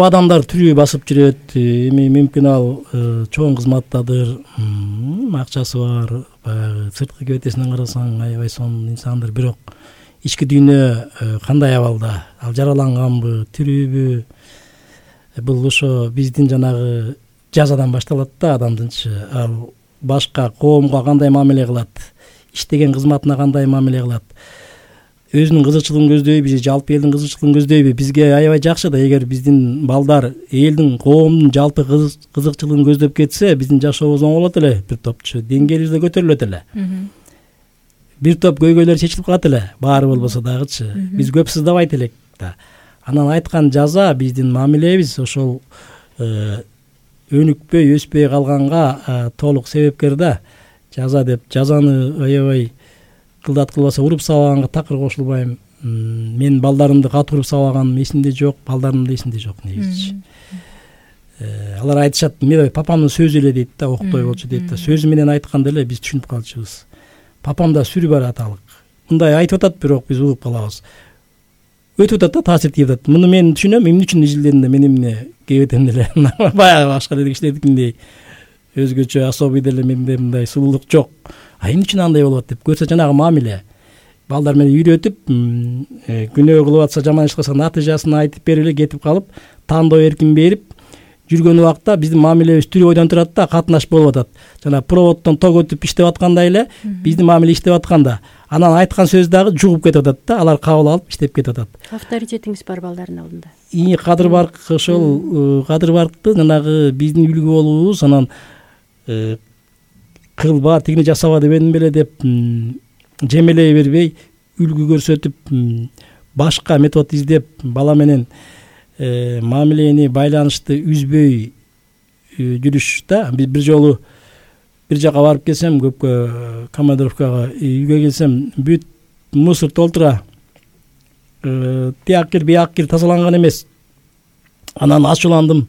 адамдар түрү басып жүрөт. Эми мүмкүн ал чоң кызматтадыр, акчасы бар, баягы сырткы кебетесинен карасаң аябай сонун инсандыр, бирок ички дүйнө кандай абалда? Ал жараланганбы, тирүүбү? Бул ошо биздин жанагы жазадан башталат да адамдынчы. Ал башка коомго кандай мамиле кылат, иштеген кызматына кандай мамиле кылат, өзүнүн кызыкчылыгын көздөйбү же жалпы элдин кызыкчылыгын көздөйбү? Бизге аябай жакшы да, эгер биздин балдар элдин, коомдун жалпы кызыкчылыгын көздөп кетсе, биздин жашообуз оңолот эле, бир топчу деңгээлибиз да көтөрүлөт эле. Бир топ көйгөйлөр чечилип калат эле, баары болбосо дагычы. Биз көп сыздабайт элек да. Анан айткан жаза биздин мамилебиз ошол өнүкпөй, өспөй калганга толук себепкер да. Жаза деп жазаны аябай кылдат кылбаса уруп сабаганга такыр кошулбайм. Мен балдарымды катуу уруп сабаганым эсимде жок, балдарым да эсимде жок негизичи. Алар айтышат, мен папамдын сөзү эле дейт да, октой болчу дейт да. Сөзү менен айтканда эле биз түшүнүп калчубуз. Папамда сүрү бар аталык. Мындай айтып атат, бирок биз угуп калабыз. Өтүп атат да, таасир тийип атат. Муну мен түшүнөм, эмне үчүн изилдедим да, мен эмне кебетем деле. Баягы башка эле кишилердикиндей өзгөчө особый деле менде мындай сулуулук жок. Эмне үчүн андай болуп атат деп көрсө, жанагы мамиле. Балдар менен үйрөтүп, күнөө кылып атса, жаман иш кылса натыйжасын айтып берип эле кетип калып, тандоо эркин берип жүргөн убакта биздин мамилебиз түрү ойдон турат да, катнаш болуп атат. Жана проводдон ток өтүп иштеп аткандай эле биздин мамиле иштеп атканда, анан айткан сөз дагы жугуп кетип атат да, алар кабыл алып иштеп кетип атат. Авторитетиңиз бар балдардын алдында. Кадыр барк, ошол кадыр баркты жанагы биздин үлгү болуубуз, анан кылба, тигини жасаба дебедим беле деп жемелей бербей, үлгү көрсөтүп, башка метод издеп, бала менен мамилени, байланышты үзбөй жүрүш да. Бир жолу бир жака барып келсем, көпкө командировкага, үйгө келсем, бүт мусор толтура, тияк кир, бияк кир тазаланган эмес. Анан ачууландым.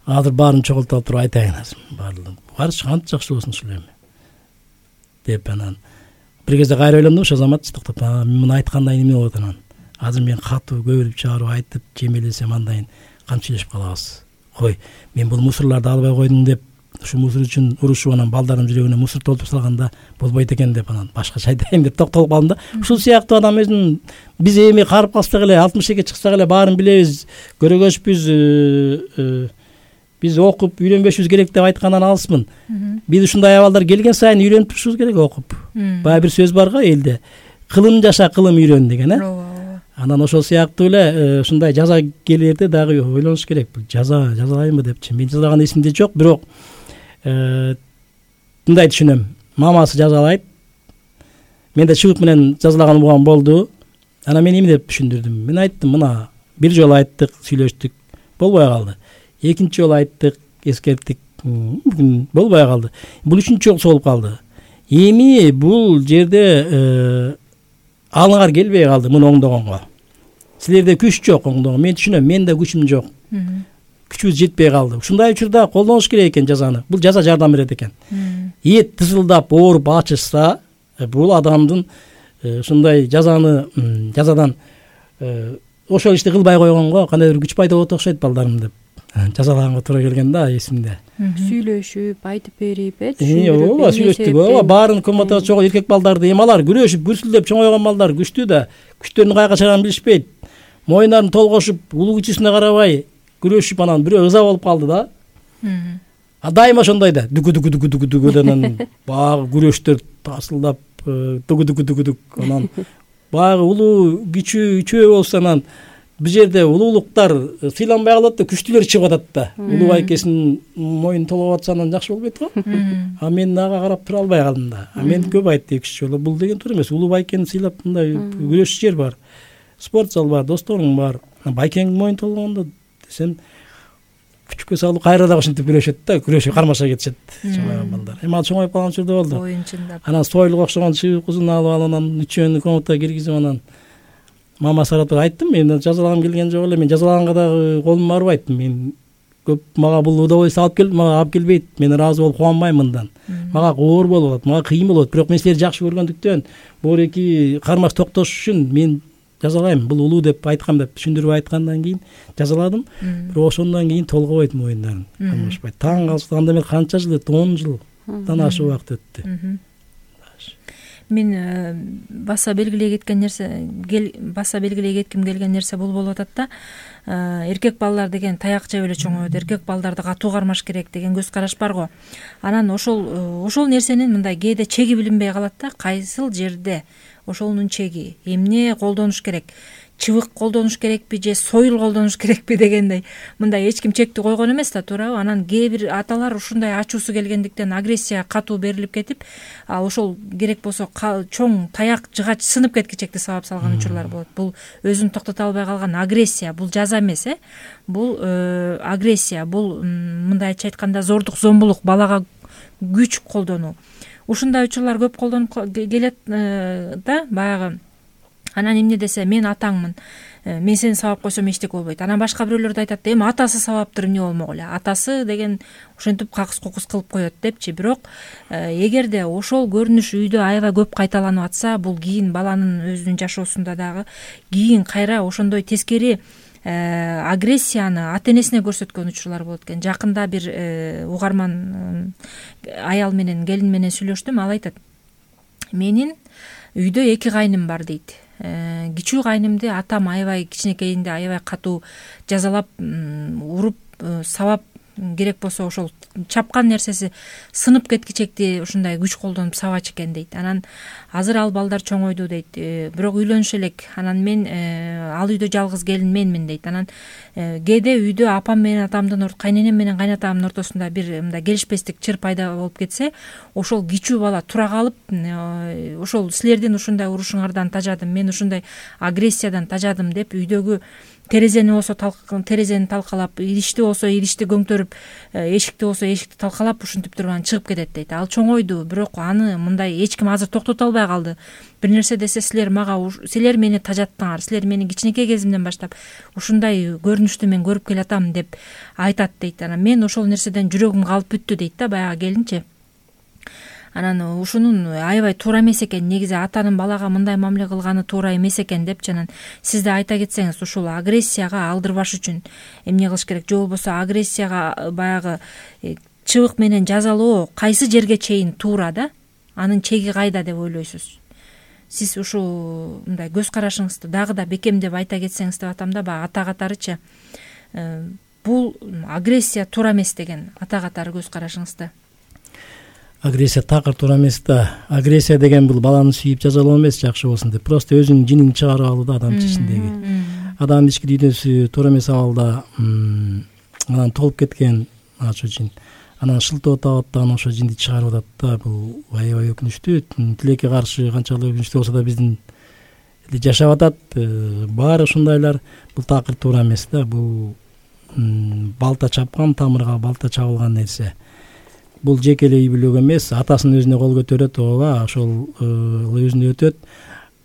Азыр баарын чогултуп туруп айтайын. Барчы канча жакшы болсун ушул эми деп, анан бир кезде кайра ойлондум, ошо замат токтоп, муну айткандай эмне болот анан? Азыр мен катуу көбүрүп чыгарып айтып жемелесем, андан камчылашып калабыз. Кой, мен бул мусорлорду албай койдум деп, ушу мусор үчүн урушуп, анан балдарым жүрөгүнө мусор толтуруп салганда болбойт экен деп, анан башкача айтайын деп токтолуп калдым да. Ушул сыяктуу адам өзүнүн, биз эми карып калсак эле, 60 чыксак эле баарын билебиз, көрөгөчпүз, биз окуп үйрөнбөшүбүз керек деп айткандан алыспын. Биз ушундай абалдар келген сайын үйрөнүп турушубуз керек окуп. Баягы бир сөз бар го элде, кылым жаша, кылым үйрөн деген, Анан ошол сыяктуу эле ушундай жаза келерде дагы ойлонуш керек. Жазалайынбы депчи. Мен жазалаган эсимде жок, бирок мындай түшүнөм. Мамасы жазалайт. Мен да чыбык менен жазалаган убагым болду. Анан мен эмне деп түшүндүрдүм? Мен айттым, мына бир жолу айттык, сүйлөштүк, болбой калды. Экинчи жолу айттык, эскерттик, бүгүн болбой калды. Бул үчүнчү жолу болуп калды. Эми бул жерде алыңар келбей калды муну оңдогонго. Силерде күч жок оңдогонго. Мен түшүнөм, менде күчүм жок. Күчүбүз жетпей калды. Ушундай учурда колдонуш керек экен жазаны. Бул жаза жардам берет экен. Эт тызылдап, ооруп ачышса, бул адамдын ушундай жазадан ошол ишти кылбай койгонго кандайдыр күч пайда болот окшойт балдарым деп жазалаганга туура келген да, эсимде. Сүйлөшүп, айтып берип, ооба, сүйлөштүк. Ооба, баарын комнатага чогуу эркек балдарды эмалар күрөшүп, күрсүлдөп чоңойгон балдар күчтүү да, күчтөрүнүн каяка чыгаганын билишпейт. Моюндарын толгошуп, улуу кичисине карабай күрөшүп, анан бирөө ыза болуп калды да. Дайыма ошондой да, дүгү анан баягы күрөштөр тасылдап, дүгү анан баягы улуу кичүү болсо, анан бир жерде улуулуктар сыйланбай калат да, күчтүүлөр чыгып атат да. Улуу байкесинин моюн толгоп атса анан жакшы болбойт го. Мен ага карап тура албай калдым да. Мен көп айттым экинчи жолу, бул деген туура эмес. Улуу байкени сыйлап мындай күрөшчү жер бар, спорт зал бар, досторуң бар. Байкеңдин моюн толгондо десем, күчкө салып кайра дагы ушинтип күрөшөт да, күрөшүп кармаша кетишет чоңойгон балдар. Эми ал чоңоюп калган учурда болду. Оюн чындап. Анан сойлуга окшогон чыбык узун алып анан үчөөнү комнатага киргизип анан мама сарап айттым, мен жазалагым келген жок эле, мен жазалаганга дагы колум барбайт, мен көп мага бул удовольствие алып келип, мага алып келбейт, мен ыраазы болуп кубанбайм мындан. Мага оор болуп атат, мага кыйын болот, бирок мен силерди жакшы көргөндүктөн бул эки кармаш токтош үчүн мен жазалайм, бул улуу деп айткам деп түшүндүрүп айткандан кийин жазаладым. Бирок ошондон кийин толгойт моюндарын кармашпайт. Таң калышты, анда мен канча жыл өттү, 10 жылдан ашык убакыт өттү. Мен баса белгилей кетким келген нерсе бул болуп атат да. Эркек балдар деген таяк жеп эле чоңойот, эркек балдарды катуу кармаш керек деген көз караш бар го. Анан ошол нерсенин мындай кээде чеги билинбей калат да. Кайсыл жерде ошонун чеги, эмне колдонуш керек, чыбык колдонуш керекпи же сойыл колдонуш керекпи дегендей мындай эч ким чекти койгон эмес да, туурабы? Анан кээ бир аталар ушундай ачуусу келгендиктен агрессия катуу берилип кетип, ал ошол керек болсо чоң таяк жыгач сынып кеткичекти сабап салган учурлар болот. Бул өзүн токтото албай калган агрессия, бул жаза эмес, бул агрессия, бул мындай айтканда зордук, зомбулук, балага күч колдонуу. Ушундай учурлар көп колдонуп келет да, баягы. Анан эмне десе, мен атаңмын, мен сени сабап койсом эчтеке болбойт. Анан башка бирөөлөр да айтат, эми атасы сабаптыр, эмне болмок эле, атасы деген ошентип какыс кукус кылып коет депчи. Бирок эгерде ошол көрүнүш үйдө аябай көп кайталанып атса, бул кийин баланын өзүнүн жашоосунда дагы кийин кайра ошондой тескери агрессияны ата энесине көрсөткөн учурлар болот экен. Жакында бир угарман аял менен, келин менен сүйлөштүм. Ал айтат, менин үйдө 2 кайным бар дейт. Кичүү кайнымды атам аябай кичинекейинде аябай катуу жазалап, уруп, сабап, керек болсо ошол чапкан нерсеси сынып кеткичекти ушундай күч колдонуп сабачу экен дейт. Анан азыр ал балдар чоңойду дейт, бирок үйлөнүш элек. Анан мен ал үйдө жалгыз келин менмин дейт. Анан кээде үйдө апам менен атамдын, кайненем менен кайнатамдын ортосунда бир мындай келишпестик, чыр пайда болуп кетсе, ошол кичүү бала тура калып, ошол силердин ушундай урушуңардан тажадым, мен ушундай агрессиядан тажадым деп үйдөгү терезени болсо терезени талкалап, идишти болсо идишти көңтөрүп, эшикти болсо эшикти талкалап ушинтип туруп анан чыгып кетет дейт. Ал чоңойду, бирок аны мындай эч ким азыр токтото албай калды. Бир нерсе десе, силер мени тажаттыңар, силер мени кичинекей кезимден баштап ушундай көрүнүштү мен көрүп келатам деп айтат дейт. Анан мен ошол нерседен жүрөгүм калып бүттү дейт да, баягы келинчи. Анан ушунун аябай туура эмес экен, негизи атанын балага мындай мамиле кылганы туура эмес экен депчи. Анан сиз да айта кетсеңиз, ушул агрессияга алдырбаш үчүн эмне кылыш керек, же болбосо агрессияга баягы чыбык менен жазалоо кайсы жерге чейин туура да, анын чеги кайда деп ойлойсуз? Сиз ушул мындай көз карашыңызды дагы да бекемдеп айта кетсеңиз деп атам да, баягы ата катарычы. Бул агрессия туура эмес деген ата катары көз карашыңызды. Агрессия такыр туура эмес да. Агрессия деген бул баланы сүйүп жазалоо эмес, жакшы болсун деп. Просто өзүнүн жинин чыгарып алуу да, адамдын ичиндеги. Адамдын ички дүйнөсү туура эмес абалда анан толуп кеткен ошо жин. Анан шылтоо табат да, анан ошо жинди чыгарып атат да. Бул аябай өкүнүчтүү. Тилекке каршы канчалык өкүнүчтүү болсо да биздин жашап атат. Баары ушундайлар. Бул такыр туура эмес да. Бул балта чапкан, тамырга балта чабылган нерсе. Бул жеке эле үй бүлөгө эмес, атасын өзүнө кол көтөрөт, ооба, ошол өзүнө өтөт.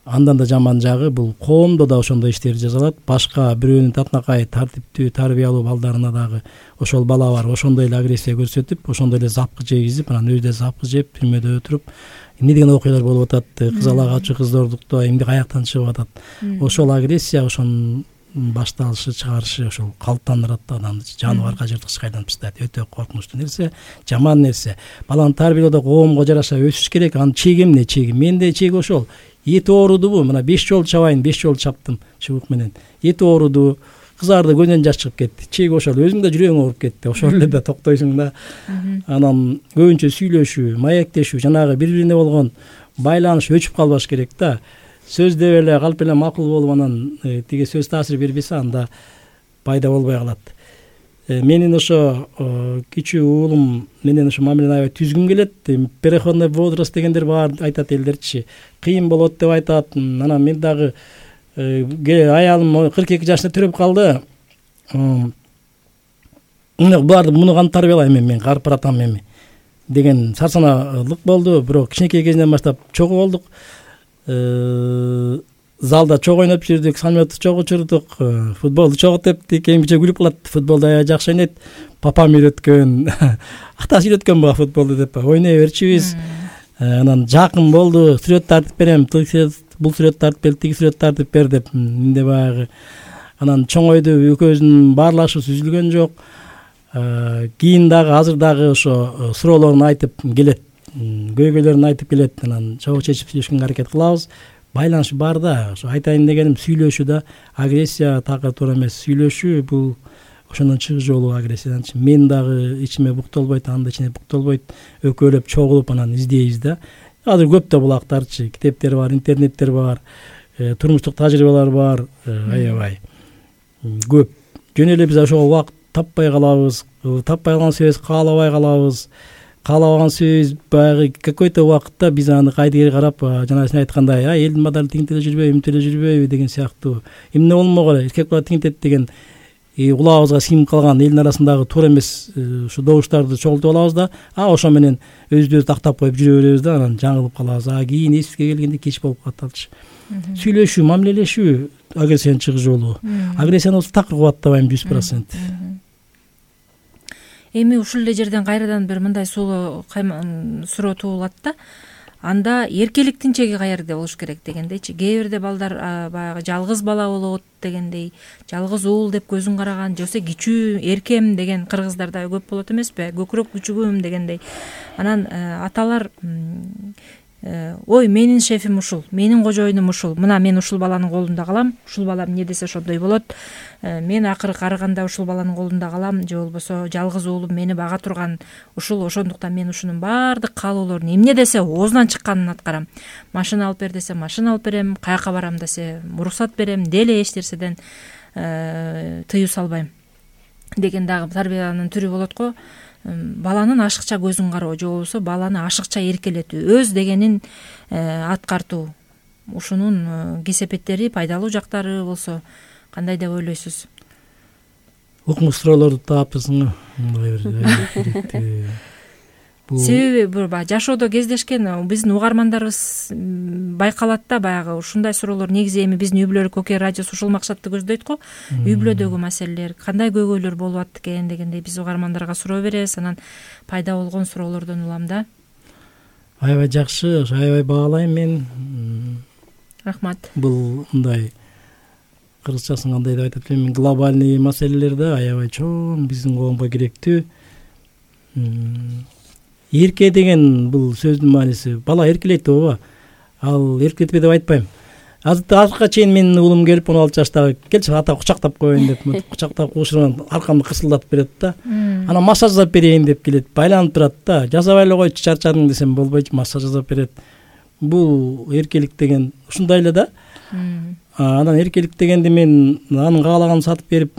Андан да жаман жагы, бул коомдо да ошондой иштер жазалат. Башка бирөөнүн татынакай тартиптүү, тарбиялуу балдарына дагы ошол бала бар, ошондой эле агрессия көрсөтүп, ошондой эле запкы жегизип, анан өзү да запкы жеп, түрмөдө отуруп, эмне деген окуялар болуп атат. Кызалагачы, кыздордуктоо эмне каяктан чыгып атат. Ошол агрессия, ошонун башталышы, чыгарышы ошол калыптандырат да адамды. Жаныбарга жырткычка айланып тастайт. Өтө коркунучтуу нерсе, жаман нерсе. Баланы тарбиялоодо коомго жараша өсүш керек. Анын чеги эмне? Чеги менде чеги ошол. Эти оорудубу? Мына 5 жолу чабайын, 5 жолу чаптым чыбык менен. Эти оорудубу? Кызарды көзүнөн жаш чыгып кетти. Чеги ошол. Өзүң да жүрөгүң ооруп кетти. Ошол эле да токтойсуң да. Анан көбүнчө сүйлөшүү, маектешүү, жанагы бири-бирине болгон байланыш өчүп калбаш керек да. Сөз деп эле калп эле макул болуп, анан тиги сөз таасир бербесе, анда пайда болбой калат. Менин ошо кичүү уулум менен ошо мамилени аябай түзгүм келет. Переходный возраст дегендер бар айтат элдерчи. Кыйын болот деп айтат. Анан мен дагы аялым 42 жашында төрөп калды. буларды муну кантип тарбиялайм мен карып баратам эми деген сарсаналык болду. Бирок кичинекей кезинен баштап чогуу болдук. Залда чогуу ойноп жүрдүк, самолетти чогуу учурдук, футболду чогуу тептик. Эмче күлүп калат, футболду аябай жакшы ойнойт, папам үйрөткөн, атасы үйрөткөн буга футболду деп ойной берчүбүз. Анан жакын болду, сүрөт тартып берем, бул сүрөт тартып бер, тиги сүрөт тартып бер деп менде баягы. Анан чоңойду, экөөбүздүн баарлашыбыз үзүлгөн жок. Кийин дагы азыр дагы ошо суроолорун айтып келет, көйгөйлөрүн айтып келет. Анан чогуу чечип сүйлөшкөнгө аракет кылабыз. Байланыш бар да. Ошо айтайын дегеним сүйлөшүү да, агрессия такыр туура эмес. Сүйлөшүү бул ошондон чыгуу жолу агрессиядан. Мен дагы ичиме буктолбойт, анда ичине буктолбойт. Экөөлөп чогулуп анан издейбиз да. Азыр көп да булактарчы, китептер бар, интернеттер бар, турмуштук тажрыйбалар бар, аябай көп. Жөн эле биз ошого убакыт таппай калабыз. Таппай калган себебибиз каалабай калабыз. Каалабаган себебибиз баягы какой-то убакытта биз аны кайдыгер карап, жана сен айткандай, элдин баары тигинтеле жүрбөйбү, имтеле жүрбөйбү деген сыяктуу. Эмне болмогула, эркек бала тигинтет деген кулагыбызга сиңип калган элдин арасындагы туура эмес ушу добуштарды чогултуп алабыз да, ошо менен өзүбүздү тактап коюп жүрө беребиз да, анан жаңылып калабыз. Кийин эсибизге келгенде кеч болуп калат. Сүйлөшүү, мамилелешүү агрессиянын чыгуу жолу. Агрессияны такыр кубаттабайм 100%. Эми ушул эле жерден кайрадан бир мындай суроо туулат да. Анда эркеликтин чеги каерде болуш керек дегендейчи. Кээ бирде балдар баягы жалгыз бала болот дегендей, жалгыз уул деп көзүн караган, же болбосо кичүү эркем деген кыргыздар да көп болот эмеспи? Көкүрөк күчүгүм дегендей. Анан аталар ой, менин шефим ушул, менин кожоюнум ушул, мына мен ушул баланын колунда калам, ушул балам эмне десе ошондой болот, мен акыры карыганда ушул баланын колунда калам, же болбосо жалгыз уулум мени бага турган ушул, ошондуктан мен ушунун баардык каалоолорун эмне десе оозунан чыкканын аткарам. Машина алып бер десе машина алып берем, каяка барам десе уруксат берем, деле эч нерседен тыюу салбайм деген дагы тарбиянын түрү болот го. Баланын ашыкча көзүн кароо, же болбосо баланы ашыкча эркелетүү, өз дегенин аткартуу. Ушунун кесепеттери, пайдалуу жактары болсо кандай деп ойлойсуз? Укмуш суроолорду таапсың. Себеби жашоодо кездешкен биздин угармандарыбыз байкалат да, баягы ушундай суроолор негизи эми биздин Үй бүлөлүк Окея радиосу ушул максатты көздөйт го. Үй бүлөдөгү маселелер, кандай көйгөйлөр болуп атты экен дегендей биз угармандарга суроо беребиз. Анан пайда болгон суроолордон улам да. Аябай жакшы, аябай баалайм мен. Рахмат. Бул мындай кыргызчасын кандай деп айтат элем, глобальный маселелер да аябай чоң, биздин коомго керектүү. Эрке деген бул сөздүн мааниси бала эркелейт ооба. Ал эркелетпе деп айтпайм. Азыркыга чейин менин уулум келип 16 жаштагы келчи ата кучактап коеюн деп, кучактап куушурган аркамды кырсылдатып берет да. Анан массаж жасап берейин деп келет, байланып турат да. Жасабай эле койчу, чарчадың десем болбойчу, массаж жасап берет. Бул эркелик деген ушундай эле да. Анан эркелик дегенде мен анын каалаганын сатып берип,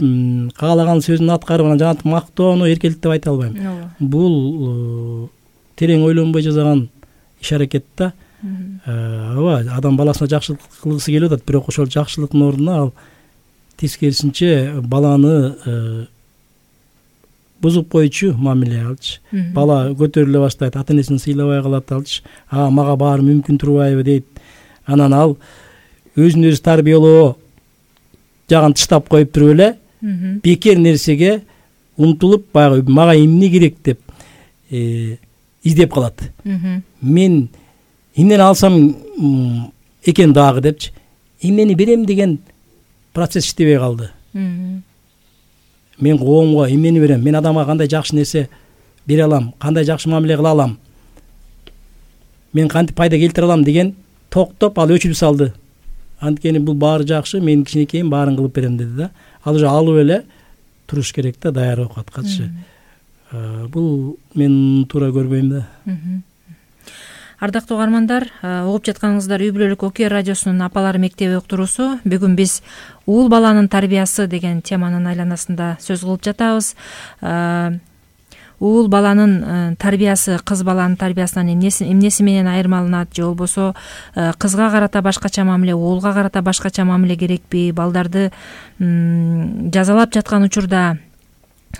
каалаган сөзүн аткарып, анан жанагынтип мактоону эркелик деп айта албайм. Бул терең ойлонбой жасаган иш аракет да. Ооба, адам баласына жакшылык кылгысы келип атат, бирок ошол жакшылыктын ордуна ал тескерисинче баланы бузуп койчу мамиле алчы. Бала көтөрүлө баштайт, ата энесин сыйлабай калат алчы. Мага баары мүмкүн турбайбы дейт. Анан ал өзүн өзү тарбиялоо жагын тыштап коюп туруп эле бекер нерсеге умтулуп, баягы мага эмне керек деп издеп калат. Мен эмнени алсам экен дагы депчи, эмнени берем деген процесс иштебей калды. Мен коомго эмнени берем, мен адамга кандай жакшы нерсе бере алам, кандай жакшы мамиле кыла алам, мен кантип пайда келтире алам деген токтоп ал өчүрүп салды. Анткени бул баары жакшы, мен кичинекейим, баарын кылып берем деди да. Ал уже алып эле туруш керек да, даяр окуаткачы. Бул мен туура көрбөйм да. Ардактуу угармандар, угуп жатканыңыздар Үй бүлөлүк Окея радиосунун Апалар мектеби уктуруусу. Бүгүн биз уул баланын тарбиясы деген теманын айланасында сөз кылып жатабыз. Уул баланын тарбиясы кыз баланын тарбиясынан эмнеси менен айырмаланат, же болбосо кызга карата башкача мамиле, уулга карата башкача мамиле керекпи? Балдарды жазалап жаткан учурда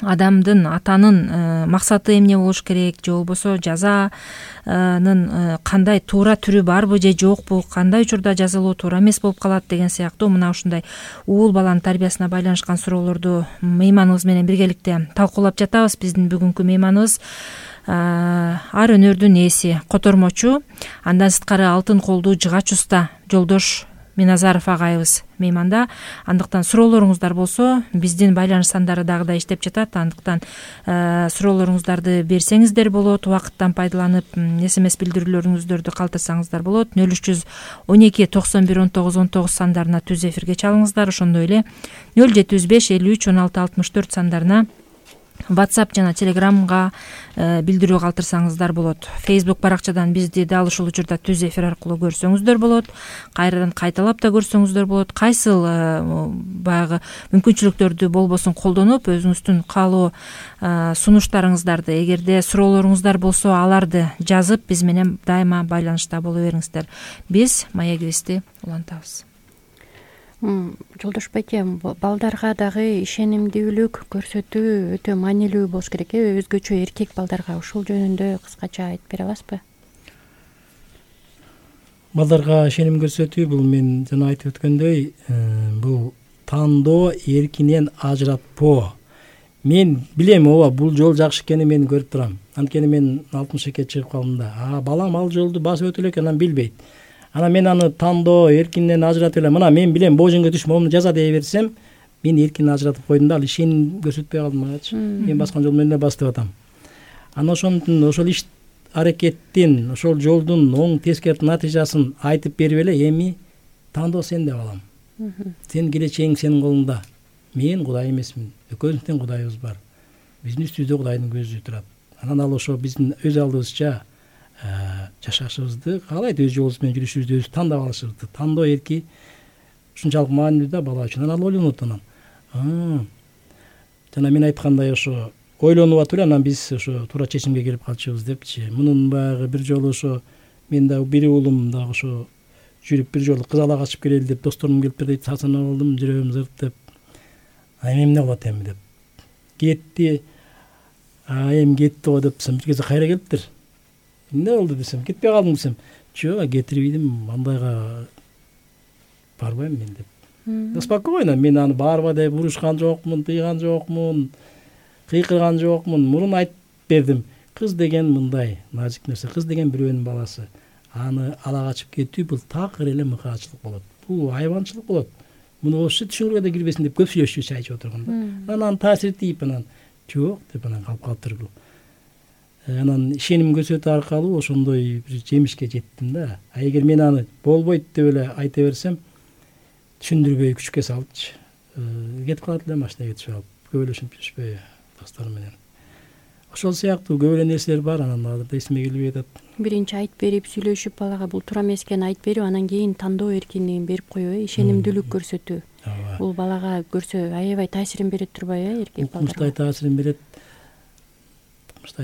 адамдын атанын максаты эмне болуш керек, же болбосо жазанын кандай туура түрү барбы же жокпу, кандай учурда жазалоо туура эмес болуп калат деген сыяктуу мына ушундай уул баланын тарбиясына байланышкан суроолорду мейманыбыз менен биргеликте талкуулап жатабыз. Биздин бүгүнкү мейманыбыз ар өнөрдүн ээси, котормочу, андан сырткары алтын колдуу жыгач уста Жолдош Миназаров агайыбыз мейманда. Андыктан суроолоруңуздар болсо, биздин байланыш сандары дагы да иштеп жатат. Андыктан суроолоруңуздарды берсеңиздер болот, убакыттан пайдаланып СМС билдирүүлөрүңүздөрдү калтырсаңыздар болот. 0312 91 19 19 сандарына түз эфирге чалыңыздар. Ошондой эле 075 53 16 64 сандарына WhatsApp жана Telegramга билдирүү калтырсаңыздар болот. Facebook баракчадан бизди дал ушул учурда түз эфир аркылуу көрсөңүздөр болот. Кайрадан кайталап да көрсөңүздөр болот. Кайсыл баягы мүмкүнчүлүктөрдү болбосун колдонуп, өзүңүздүн каалоо сунуштарыңыздарды, эгерде суроолоруңуздар болсо, аларды жазып биз менен дайыма байланышта боло бериңиздер. Биз маегибизди улантабыз. Жолдош байке, балдарга дагы ишенимдүүлүк көрсөтүү өтө маанилүү болуш керек, өзгөчө эркек балдарга. Ушул жөнүндө кыскача айтып бере аласызбы? Балдарга ишеним көрсөтүү бул мен жана айтып өткөндөй, бул тандоо эркинен ажыратпоо. Мен билем, ооба, бул жол жакшы экенин мен көрүп турам. Анткени мен 62-ке чыгып калдым да. Балам ал жолду басып өтө элек, анан билбейт. Анан мен аны тандоо эркинен ажыратып эле, мына мен билем бул жөнгө түшүп моуну жаза дей берсем, мен эркин ажыратып койдум да, ал ишеним көрсөтпөй калдым агачы. Мен баскан жол менен эле басып атам. Анан ошол иш аракеттин, ошол жолдун оң тескерки натыйжасын айтып берип эле, эми тандоо сенде балам. Сен келечегиң сенин колуңда. Мен Кудай эмесмин. Экөөбүздүн Кудайыбыз бар. Биздин үстүбүздө Кудайдын көзү турат. Анан ал ошо биздин өз алдыбызча жашашыбызды каалайт, өз жолубуз менен жүрүшүбүздү өзүбүз тандап алышыбызды. Тандоо эрки ушунчалык маанилүү да бала үчүн. Анан ал ойлонот, анан жана мен айткандай ошо ойлонуп атып эле, анан биз ошо туура чечимге келип калчубуз депчи. Мунун баягы бир жолу ошо мен да бир уулум дагы ошо жүрүп бир жолу кыз ала качып келели деп досторум келиптир дейт, сасынып алдым, жүрөгүм зырт деп. Эмне болот эми деп. Кетти. Эми кетти го депсем, бир кезде кайра келиптир. Эмне болду десем, кетпей калдым десем, жок, кетирбейдим, андайга барбайм мен деп. Спокойно, мен аны барба деп урушкан жокмун, тыйган жокмун, кыйкырган жокмун. Мурун айтып бердим. Кыз деген мындай назик нерсе, кыз деген бирөөнүн баласы. Аны ала качып кетүү бул такыр эле мыкаачылык болот. Бул айбанчылык болот. Муну ошо түшүнгөнгө да кирбесин деп көп сүйлөшчү чайчып отурганда. Анан таасир тийип, анан жок деп анан калып калыптыр бул. Анан ишеним көрсөтүү аркылуу ошондой бир жемишке жеттим да. Эгер мен аны болбойт деп эле айта берсем, түшүндүрбөй күчкө салыпчы, кетип калат эле машинага кетип алып, көбөлөшүп жүрүшпөй досторум менен. Ошол сыяктуу көп эле нерселер бар, анан азырда эсиме келбей атат. Биринчи айтып берип, сүйлөшүп, балага бул туура эмес экенин айтып берип, анан кийин тандоо эркиндигин берип коюу, ишенимдүүлүк көрсөтүү. Бул балага көрсө аябай таасирин берет турбайбы, эркек балдарга? Укмуштай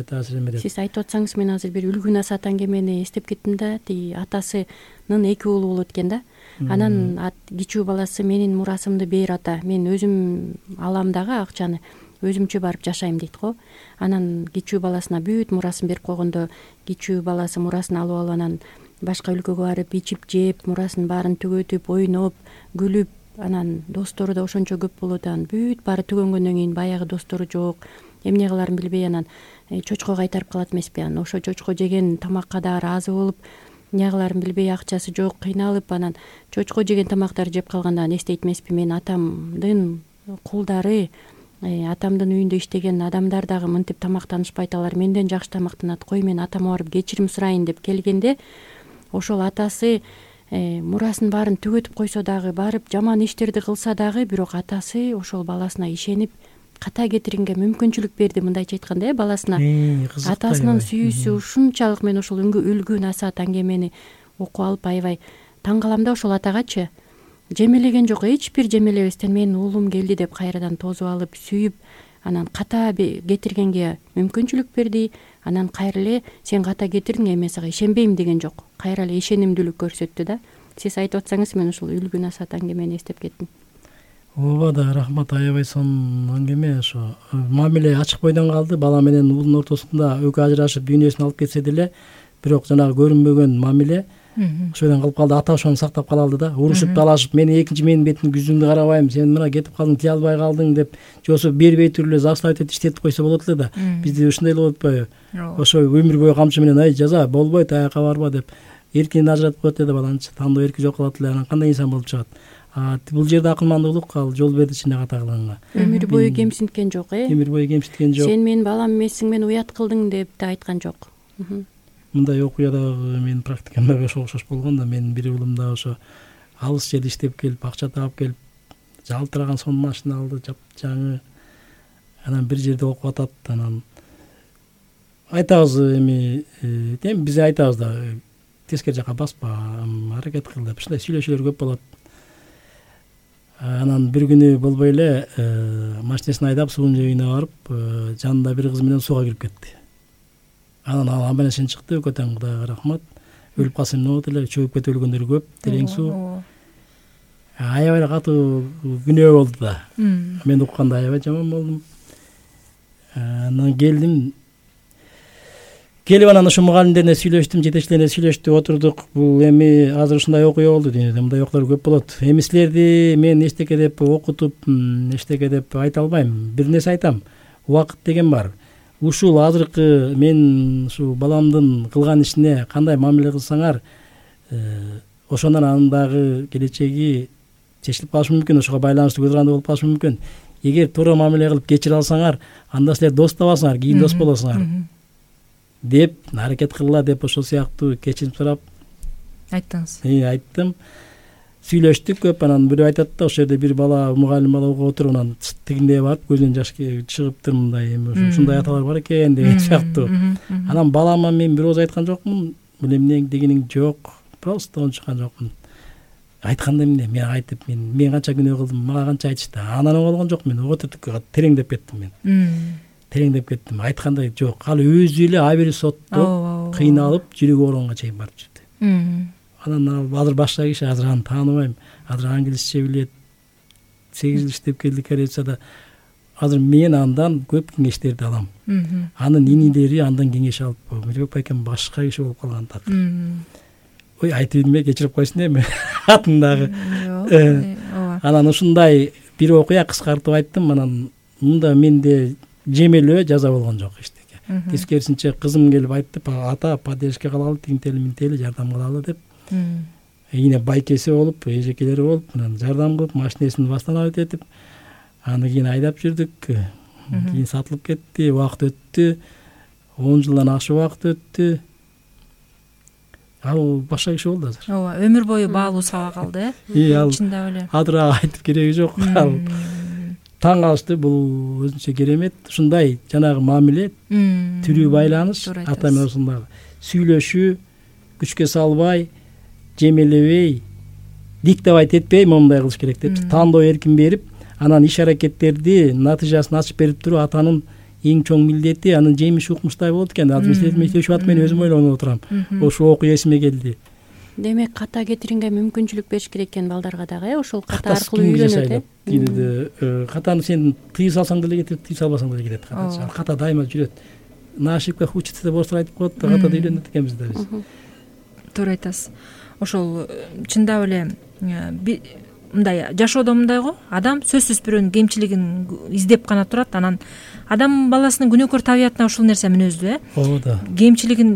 таасирин берет. Сиз айтып атсаңыз, мен азыр бир үлгү насаат аңгемени эстеп кеттим да. Тиги атасынын 2 уулу болот экен да. Анан кичүү баласы менин мурасымды бер ата, мен өзүм алам дагы акчаны, өзүмчө барып жашайм дейт го. Анан кичүү баласына бүт мурасын берип койгондо, кичүү баласы мурасын алып алып анан башка өлкөгө барып ичип жеп, мурасын баарын түгөтүп, ойноп, күлүп, анан достору да ошончо көп болот. Анан бүт баары түгөнгөндөн кийин баягы достору жок, эмне кыларын билбей анан чочко кайтарып калат эмеспи? Анан ошо чочко жеген тамакка да ыраазы болуп, эмне кыларын билбей, акчасы жок, кыйналып, анан чочко жеген тамактарды жеп калганда эстейт эмеспи? Мен атамдын кулдары, атамдын үйүндө иштеген адамдар дагы мынтип тамактанышпайт, алар менден жакшы тамактанат, кой мен атама барып кечирим сурайын деп келгенде, ошол атасы мурасын баарын түгөтүп койсо дагы, барып жаман иштерди кылса дагы, бирок атасы ошол баласына ишенип ката кетиринге мүмкүнчүлүк берди. Мындайча айтканда, баласына атасынын сүйүүсү ушунчалык. Мен ошол үлгү насаат аңгемени окуп алып аябай таң калам да ошол атагачы. Жемелеген жок, эч бир жемелебестен менин уулум келди деп кайрадан тосуп алып, сүйүп, анан ката кетиргенге мүмкүнчүлүк берди. Анан кайра эле сен ката кетирдиң, эми сага ишенбейм деген жок. Кайра эле ишенимдүүлүк көрсөттү да. Сиз айтып атсаңыз, мен ушул үлгү насаат аңгемени эстеп кеттим. ооба да рахмат, аябай сонун аңгеме. Ошо мамиле ачык бойдон калды. Бала менен уулдун ортосунда экөө ажырашып дүйнөсүн алып кетсе деле, бирок жанагы көрүнбөгөн мамиле ошодон калып калды. Ата ошону сактап кала алды да. Урушуп талашып, мен экинчи менин бетимди жүзүңдү карабайм, сен мына кетип калдың, тие албай калдың деп, же болбосо бербей туруп эле заставить этип иштетип койсо болот эле да. Бизде ушундай эле болуп атпайбы? Ошо өмүр бою камчы менен ай жаза болбойт, аяка барба деп эркинен ажыратып коет эле баланчы. Тандоо эрки жок кылат эле, анан кандай инсан болуп чыгат? Бул жерде акылмандуулук ал жол берди ичинде ката кылганга. Өмүр бою кемсинткен жок, Өмүр бою кемсинткен жок. Сен менин балам эмессиң, мен уят кылдың деп да айткан жок. Мындай окуя дагы менин практикамда ошо окшош болгон да. Менин бир уулум да ошо алыс жерде иштеп келип, акча таап келип, жалтыраган сонун машина алды, жапжаңы. Анан бир жерде окуп атат. Анан айтабыз, эми биз айтабыз да, тескери жака баспа, аракет кыл деп. Ушундай сүйлөшүүлөр көп болот. Анан бир күнү болбой эле машинесин айдап суунун жээгине барып, жанында бир кыз менен сууга кирип кетти. Анан ал амбалешен чыкты, көтөн Кудайга рахмат. Өлүп калса эмне болот эле, чөгүп кетип өлгөндөр көп, терең суу. Аябай эле катуу күнөө болду да. Мен укканда аябай жаман болдум. Анан келип анан ошо мугалимдерине сүйлөштүм, жетекчилерине сүйлөштүк, отурдук. Бул эми азыр ушундай окуя болду, дүйнөдө мындай окуялар көп болот. Эми силерди мен эчтеке деп окутуп, эчтеке деп айта албайм. Бир нерсе айтам, убакыт деген бар. Ушул азыркы мен ушу баламдын кылган ишине кандай мамиле кылсаңар, ошондон анын дагы келечеги чечилип калышы мүмкүн, ошого байланыштуу көз каранды болуп калышы мүмкүн. Эгер туура мамиле кылып кечире алсаңар, анда силер дос табасыңар, кийин дос болосуңар деп аракет кылгыла деп ошол сыяктуу кечирим сурап айттыңыз. Айттым. Сүйлөштүк көп. Анан бирөө айтат да, ошол жерде бир бала, мугалим бала окуп отуруп, анан тигиндей барып көзүнөн жаш чыгыптыр, мындай эми ушундай аталар бар экен деген сыяктуу. Анан балама мен бир ооз айткан жокмун, бул эмне дегениң жок, просто ончуккан жокмун. Айтканда эмне, мен айтып, мен канча күнөө кылдым, мага канча айтышты. Анан оңолгон жокмун, отурдук тереңдеп кеттим мен. Тереңдеп кеттим. Айткандай жок. Ал өзү эле абери соттоп, кыйналып, жүрөгү ооруганга чейин барып жүрдү. Анан азыр башка киши, азыр аны тааныбайм. Азыр англисче билет. 8 жыл иштеп келди коррупцияда. Азыр мен андан көп кеңештерди алам. Анын инилери андан кеңеш алып, Мирбек байкем башка киши болуп калган так. Ой, айтып ийдим, кечирип койсун эми атындагы. Анан ушундай бир окуя кыскартып айттым. Анан мында менде жемелөө жаза болгон жок эчтеке. Тескерисинче кызым келип айтты, ата поддержка кылалы, тигинтели минтели жардам кылалы деп. Эне байкеси болуп, эжекелери болуп, анан жардам кылып, машинесин восстановить этип, аны кийин айдап жүрдүк. Кийин сатылып кетти, убакыт өттү. 10 жылдан ашык убакыт өттү. Ал башка киши болду азыр. Ооба, өмүр бою баалуу сабак алды, чындап эле. Адыра айтып кереги жок. Ал таң калышты, бул өзүнчө керемет. Ушундай жанагы мамиле, тирүү байланыш, ата менен ошондагы сүйлөшүү, күчкө салбай, жемелебей, диктовать этпей моундай кылыш керек деп, тандоо эркин берип, анан иш аракеттерди натыйжасын ачып берип туруп, атанын эң чоң милдети, анын жемиши укмуштай болот экен. Азыр сүйлөшүп атып мен өзүм ойлонуп отурам. Ошол окуя эсиме келди. Демек, ката кетиринге мүмкүнчүлүк бериш керек экен балдарга дагы, ошол ката аркылуу үйрөнөт. Дүйнөдө катаны сен тыйы салсаң деле кетет, тыйы салбасаң деле кетет ката. Ката дайыма жүрөт. На ошибках учится деп орустар айтып коет да, катада үйрөнөт экенбиз да биз. Туура айтасыз. Ошол чындап эле мындай жашоодо мындай го, адам сөзсүз бирөөнүн кемчилигин издеп гана турат, анан адам баласынын күнөөкөр табиятына ушул нерсе мүнөздүү, Ооба да. Кемчилигин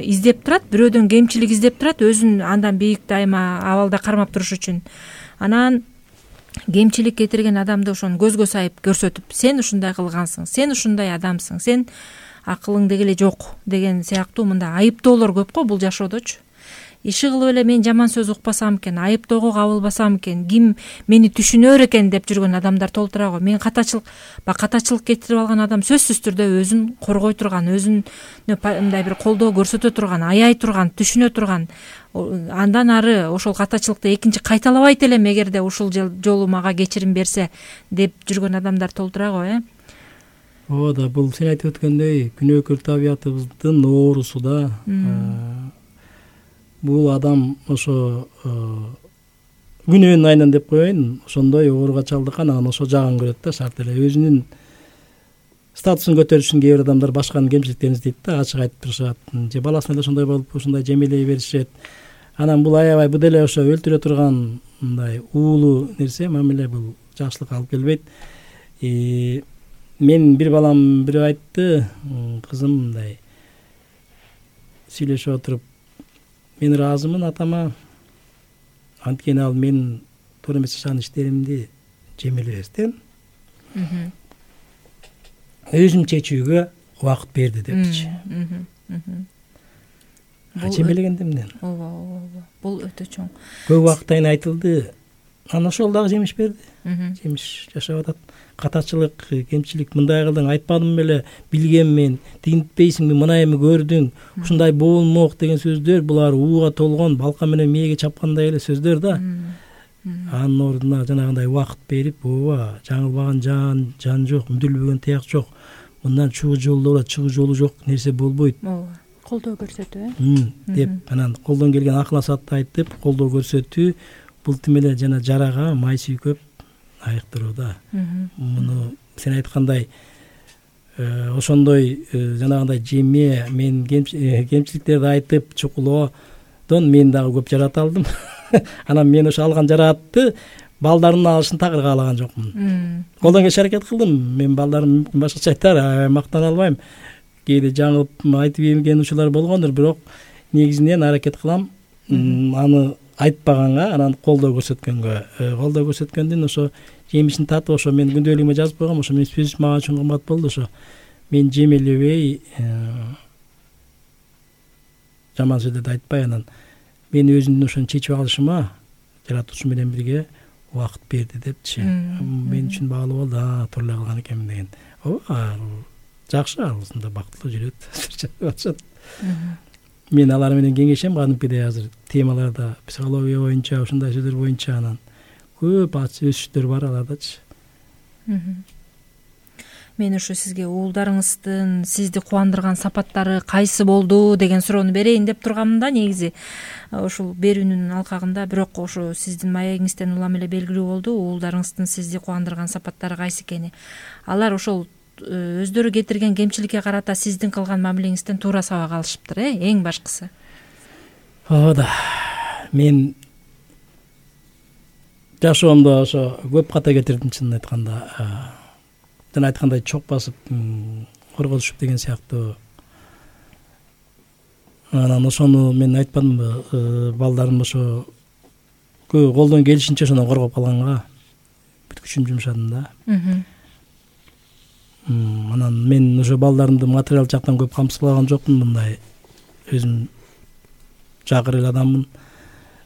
издеп турат, бирөөдөн кемчилик издеп турат, өзүн андан бийик дайыма абалда кармап туруш үчүн. Анан кемчилик кетирген адамды ошону көзгө сайып көрсөтүп, сен ушундай кылгансың, сен ушундай адамсың, сен акылың деги эле жок деген сыяктуу мындай айыптоолор көп го бул жашоодочу. Иши кылып эле мен жаман сөз укпасам экен, айыптоого кабылбасам экен, ким мени түшүнөр экен деп жүргөн адамдар толтура го. Мен катачылык кетирип алган адам сөзсүз түрдө өзүн коргой турган, өзүн мындай бир колдоо көрсөтө турган, аяй турган, түшүнө турган, андан ары ошол катачылыкты экинчи кайталабайт элем эгерде ушул жолу мага кечирим берсе деп жүргөн адамдар толтура го, Ооба да, бул сен айтып өткөндөй күнөөкөр табиятыбыздын оорусу да. Бул адам ошо күнөөнүн айынан деп коеюн, ошондой ооруга чалдыккан, анан ошо жагын көрөт да шарт эле. Өзүнүн статусун көтөрүш үчүн кээ бир адамдар башканын кемчиликтерин издейт да, ачык айтып турушат, же баласына эле ошондой болуп ошондой жемелей беришет. Анан бул аябай бу деле ошо өлтүрө турган мындай уулуу нерсе, мамиле, бул жакшылыкка алып келбейт. Мен бир балам бири айтты, кызым мындай сүйлөшүп отуруп, мен ыраазымын атама, анткени ал мен туура эмес жашаган иштеримди жемелебестен өзүм чечүүгө убакыт берди депчи. Жемелегенде эмне? Ооба, бул өтө чоң. Көп убакыттан кийин айтылды, анан ошол дагы жемиш берди. Жемиш жашап атат. Катачылык, кемчилик, мындай кылдың, айтпадым беле, билгенмен, тигинтпейсиңби, мына эми көрдүң, ушундай болмок деген сөздөр, булар ууга толгон, балка менен мээге чапкандай эле сөздөр да. Анын ордуна жанагындай убакыт берип, ооба, жаңылбаган жан жок, мүдүлбөгөн таяк жок. Мындан чыгуу жолу болот, чыгуу жолу жок нерсе болбойт. Ооба. Колдоо көрсөтүү, деп анан колдон келген акыл насаатты айтып, колдоо көрсөтүү, бул тим эле жана жарага май сүйкөп айыктыруу да. Муну сен айткандай ошондой жанагындай жеме, мен кемчиликтерди айтып чукулоодон мен дагы көп жарата алдым. Анан мен ошо алган жараатты балдарымдын алышын такыр каалаган жокмун. Колдон келиши аракет кылдым. Мен балдарым мүмкүн башкача айтар, мактана албайм. Кээде жаңылып айтып ийген учурлар болгондур, бирок негизинен аракет кылам аны айтпаганга, анан колдоо көрсөткөндүн ошо жемишин татып, ошо мен күндөөлүгүмө жазып койгом, ошо мен сөз мага үчүн кымбат болду. Ошо мен жемелебей, жаман сөздөрдү айтпай, анан мен өзүмдүн ошону чечип алышыма жаратуучу менен бирге убакыт берди депчи. Мен үчүн баалуу болду, туура эле кылган экенмин деген. Ооба, жакшы, ушундай бактылуу жүрөт. Мен алар менен кеңешем, кадимкидей азыр темаларда, психология боюнча, ушундай сөздөр боюнча, анан көп өсүштөр бар алардачы. Мен ошо сизге уулдарыңыздын сизди кубандырган сапаттары кайсы болду деген суроону берейин деп тургамын да, негизи ушул берүүнүн алкагында. Бирок ошо сиздин маегиңизден улам эле белгилүү болду, уулдарыңыздын сизди кубандырган сапаттары кайсы экени. Алар ошол өздөрү кетирген кемчиликке карата сиздин кылган мамилеңизден туура сабак алышыптыр, эң башкысы. Ооба, мен жашоомдо ошо көп ката кетирдим, чынын айтканда. Жана айткандай чок басып, корготушуп деген сыяктуу. Анан ошону мен айтпадымбы, балдарым ошо колдон келишинче ошондон коргоп калганга бүт күчүмдү жумшадым да. Анан мен ошо балдарымды материал жактан көп камсызлаган жокмун, мындай өзүм жакыр эле адаммын.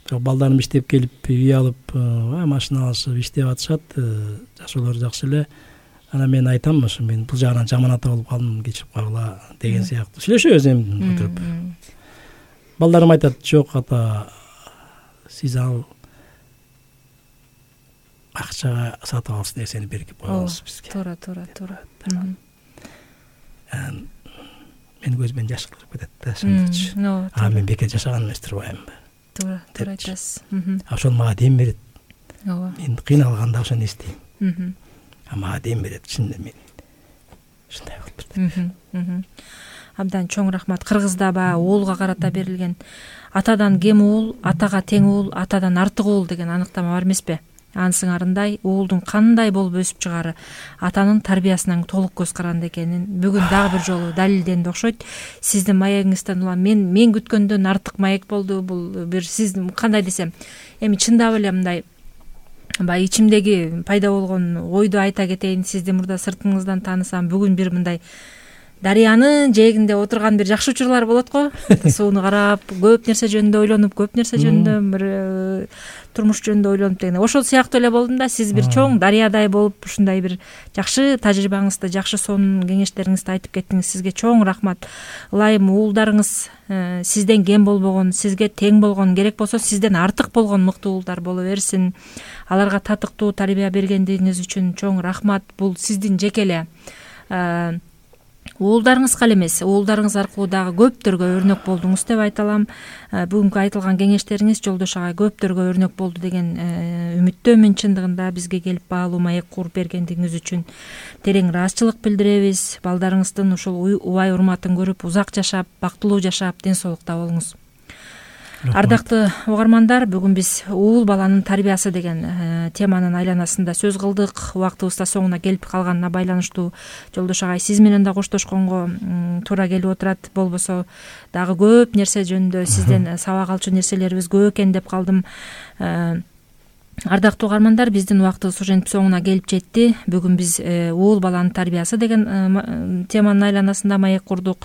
Бирок балдарым иштеп келип, үй алып, машина алышып иштеп атышат, жашоолору жакшы эле. Анан мен айтам, ошо мен бул жагынан жаман ата болуп калдым, кечирип койгула деген сыяктуу сүйлөшөбүз эми отуруп. Балдарым айтат, жок ата, сиз ал акчага сатып алгыс нерсени берип коебуз бизге. Туура. Мен көзүмөн жаш кырып кетет да, ошондочу. Мен бекер жашаган эмес турбаймынбы? Туура айтасыз. Ошол мага дем берет. Ооба. Мен кыйналганда ошону эстейм. Мага дем берет, чынында мен ушундай болуптур. Абдан чоң рахмат. Кыргызда уулга карата берилген атадан кем уул, атага тең уул, атадан артык уул деген аныктама бар эмеспи? Анын сыңарындай уулдун кандай болуп өсүп чыгаары атанын тарбиясынан толук көз каранды экенин бүгүн дагы бир жолу далилденди окшойт. Сиздин маегиңизден улам мен күткөндөн артык маек болду. Бул бир сиздин кандай десем, эми чындап эле мындай баягы ичимдеги пайда болгон ойду айта кетейин. Сизди мурда сыртыңыздан таанысам, бүгүн бир мындай дарыянын жээгинде отурган бир жакшы учурлар болот го. Сууну карап, көп нерсе жөнүндө ойлонуп, көп нерсе жөнүндө бир турмуш жөнүндө ойлонуп деген. Ошол сыяктуу эле болдум да. Сиз бир чоң дарыядай болуп, ушундай бир жакшы тажрыйбаңызды, жакшы сонун кеңештериңизди айтып кеттиңиз. Сизге чоң рахмат. Ылайым уулдарыңыз сизден кем болбогон, сизге тең болгон, керек болсо сизден артык болгон мыкты уулдар боло берсин. Аларга татыктуу тарбия бергендигиңиз үчүн чоң рахмат. Бул сиздин жеке эле уулдарыңызга эле эмес, уулдарыңыз аркылуу дагы көптөргө өрнөк болдуңуз деп айта алам. Бүгүнкү айтылган кеңештериңиз Жолдош агай көптөргө өрнөк болду деген үмүттөмүн. Чындыгында бизге келип баалуу маек куруп бергендигиңиз үчүн терең ыраазычылык билдиребиз. Балдарыңыздын ушул убай урматын көрүп узак жашап, бактылуу жашап, ден соолукта болуңуз. Ардактуу угармандар, бүгүн биз уул баланын тарбиясы деген теманын айланасында сөз кылдык. Убактыбыз да соңуна келип калганына байланыштуу Жолдош агай сиз менен да коштошконго туура келип отурат. Болбосо дагы көп нерсе жөнүндө сизден сабак алчу нерселерибиз көп экен деп калдым. Ардактуу угармандар, биздин убактыбыз ошентип соңуна келип жетти. Бүгүн биз уул баланын тарбиясы деген теманын айланасында маек курдук.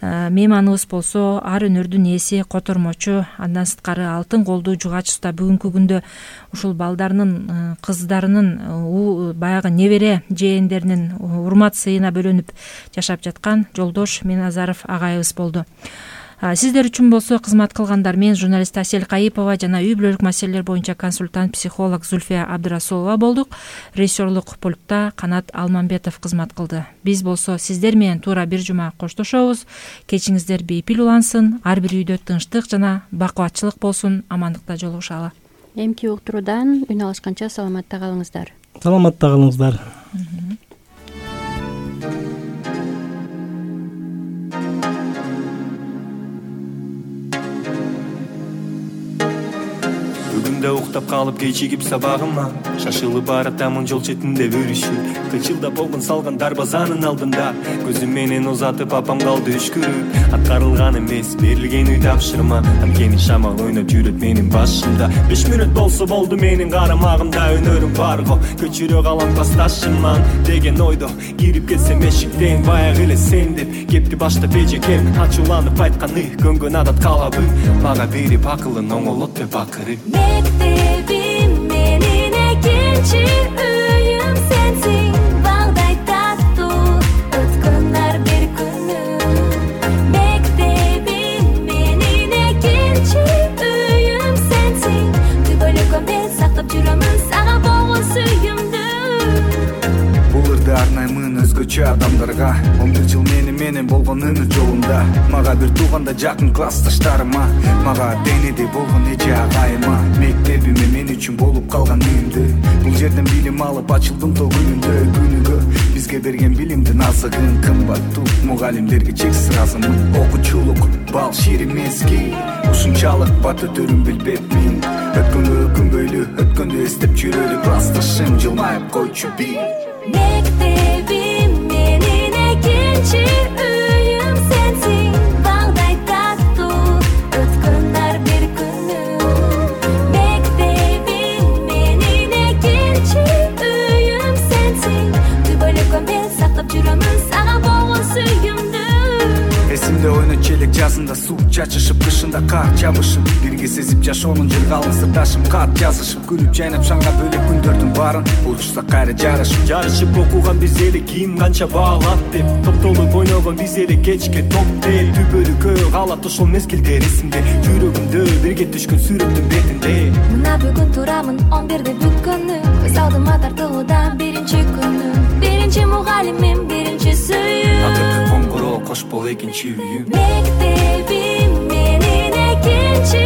Мейманыбыз болсо ар өнөрдүн ээси, котормочу, андан сырткары алтын колдуу жугач уста. Бүгүнкү күндө ушул балдарынын, кыздарынын, баягы небере жээндеринин урмат сыйына бөлөнүп жашап жаткан Жолдош Миназаров агайыбыз болду. Сиздер үчүн болсо кызмат кылгандар мен журналист Асель Кайыпова жана үй бүлөлүк маселелер боюнча консультант психолог Зульфия Абдырасулова болдук. Режиссерлук пультта Канат Алмамбетов кызмат кылды. Биз болсо сиздер менен туура бир жума коштошобуз. Кечиңиздер бейпил улансын, ар бир үйдө тынчтык жана бакубатчылык болсун. Амандыкта жолугушалы. Эмки уктуруудан үн алышканча саламатта калыңыздар. Саламатта калыңыздар. Бүгүндө уктап калып кечигип сабагыма, шашылып баратамын жол четинде өрүшүп. Кычылдап болгон салган дарбазанын алдында көзүм менен узатып апам калды үшкүрүп. Аткарылган эмес берилген үй тапшырма, анткени шамал ойноп жүрөт менин башымда. 5 мүнөт болсо болду менин карамагымда, өнөрүм барго көчүрө калам классташыман деген ойдо кирип кетсем эшиктен баягы эле сен деп кепти баштап эжекем. Ачууланып айтканы көнгөн адат калабы, мага берип акылын оңолот деп акырып. Мектебим менин экинчи үйүм сенсиң, балдай таттуу өткөн ар бир күнүм. Мектебим менин экинчи үйүм сенсиң, түбөлүккө мен сактап жүрөмүн сага болгон сүйүмдү. Бул ырды арнаймын өзгөчө адамдарга, 11 жыл менен болгон өмүр жолунда. Мага бир тууганда жакын классташтарыма, мага денеде болгон эже агайыма. Мектебиме мен үчүн болуп калган үйүмдү. Бул жерден билим алып ачылдым то күнүгө. Бизге берген билимдин азыгын, кымбаттуу мугалимдерге чексиз ыраазымын. Окуучулук бал шир эмески, ушунчалык бат өтөрүн билбепмин. Өткөнгө күнбөйлү, өткөндү эстеп жүрөлү, классташым жылмайып койчу бир. Мектебим менин экинчи үйүм сенсиң, балдай таттуу өткөн ар бир күнүм. Мектебим менин экинчи үйүм сенсиң, түбөлүккө мен сактап жүрөмүн сага болгон сүйүмдү. Эсимде ойнот челек жазында суу чачышып, кышында кар жабышып, бирге сезип жашоонун жыргалын сырдашып, кат жазышып, күлүп жайнап шаңга бөлөк күндөрдүн баарын учурсак кайра жарышып окуган биз эле кийим канча баалат деп, топтолуп ойногон биз эле кечке топ деп. Түбөлүккө калат ошол мезгилдер эсимде, жүрөгүмдө бирге түшкөн сүрөттүн бетинде. Мына бүгүн турамын 11-де бүткөнү, көз алдыма тартылуудан биринчи күнүм. Биринчи мугалимим, биринчи сүйүүм. Акыркы коңгуроо кош бол экинчи үйүм. Мектебим менин экинчи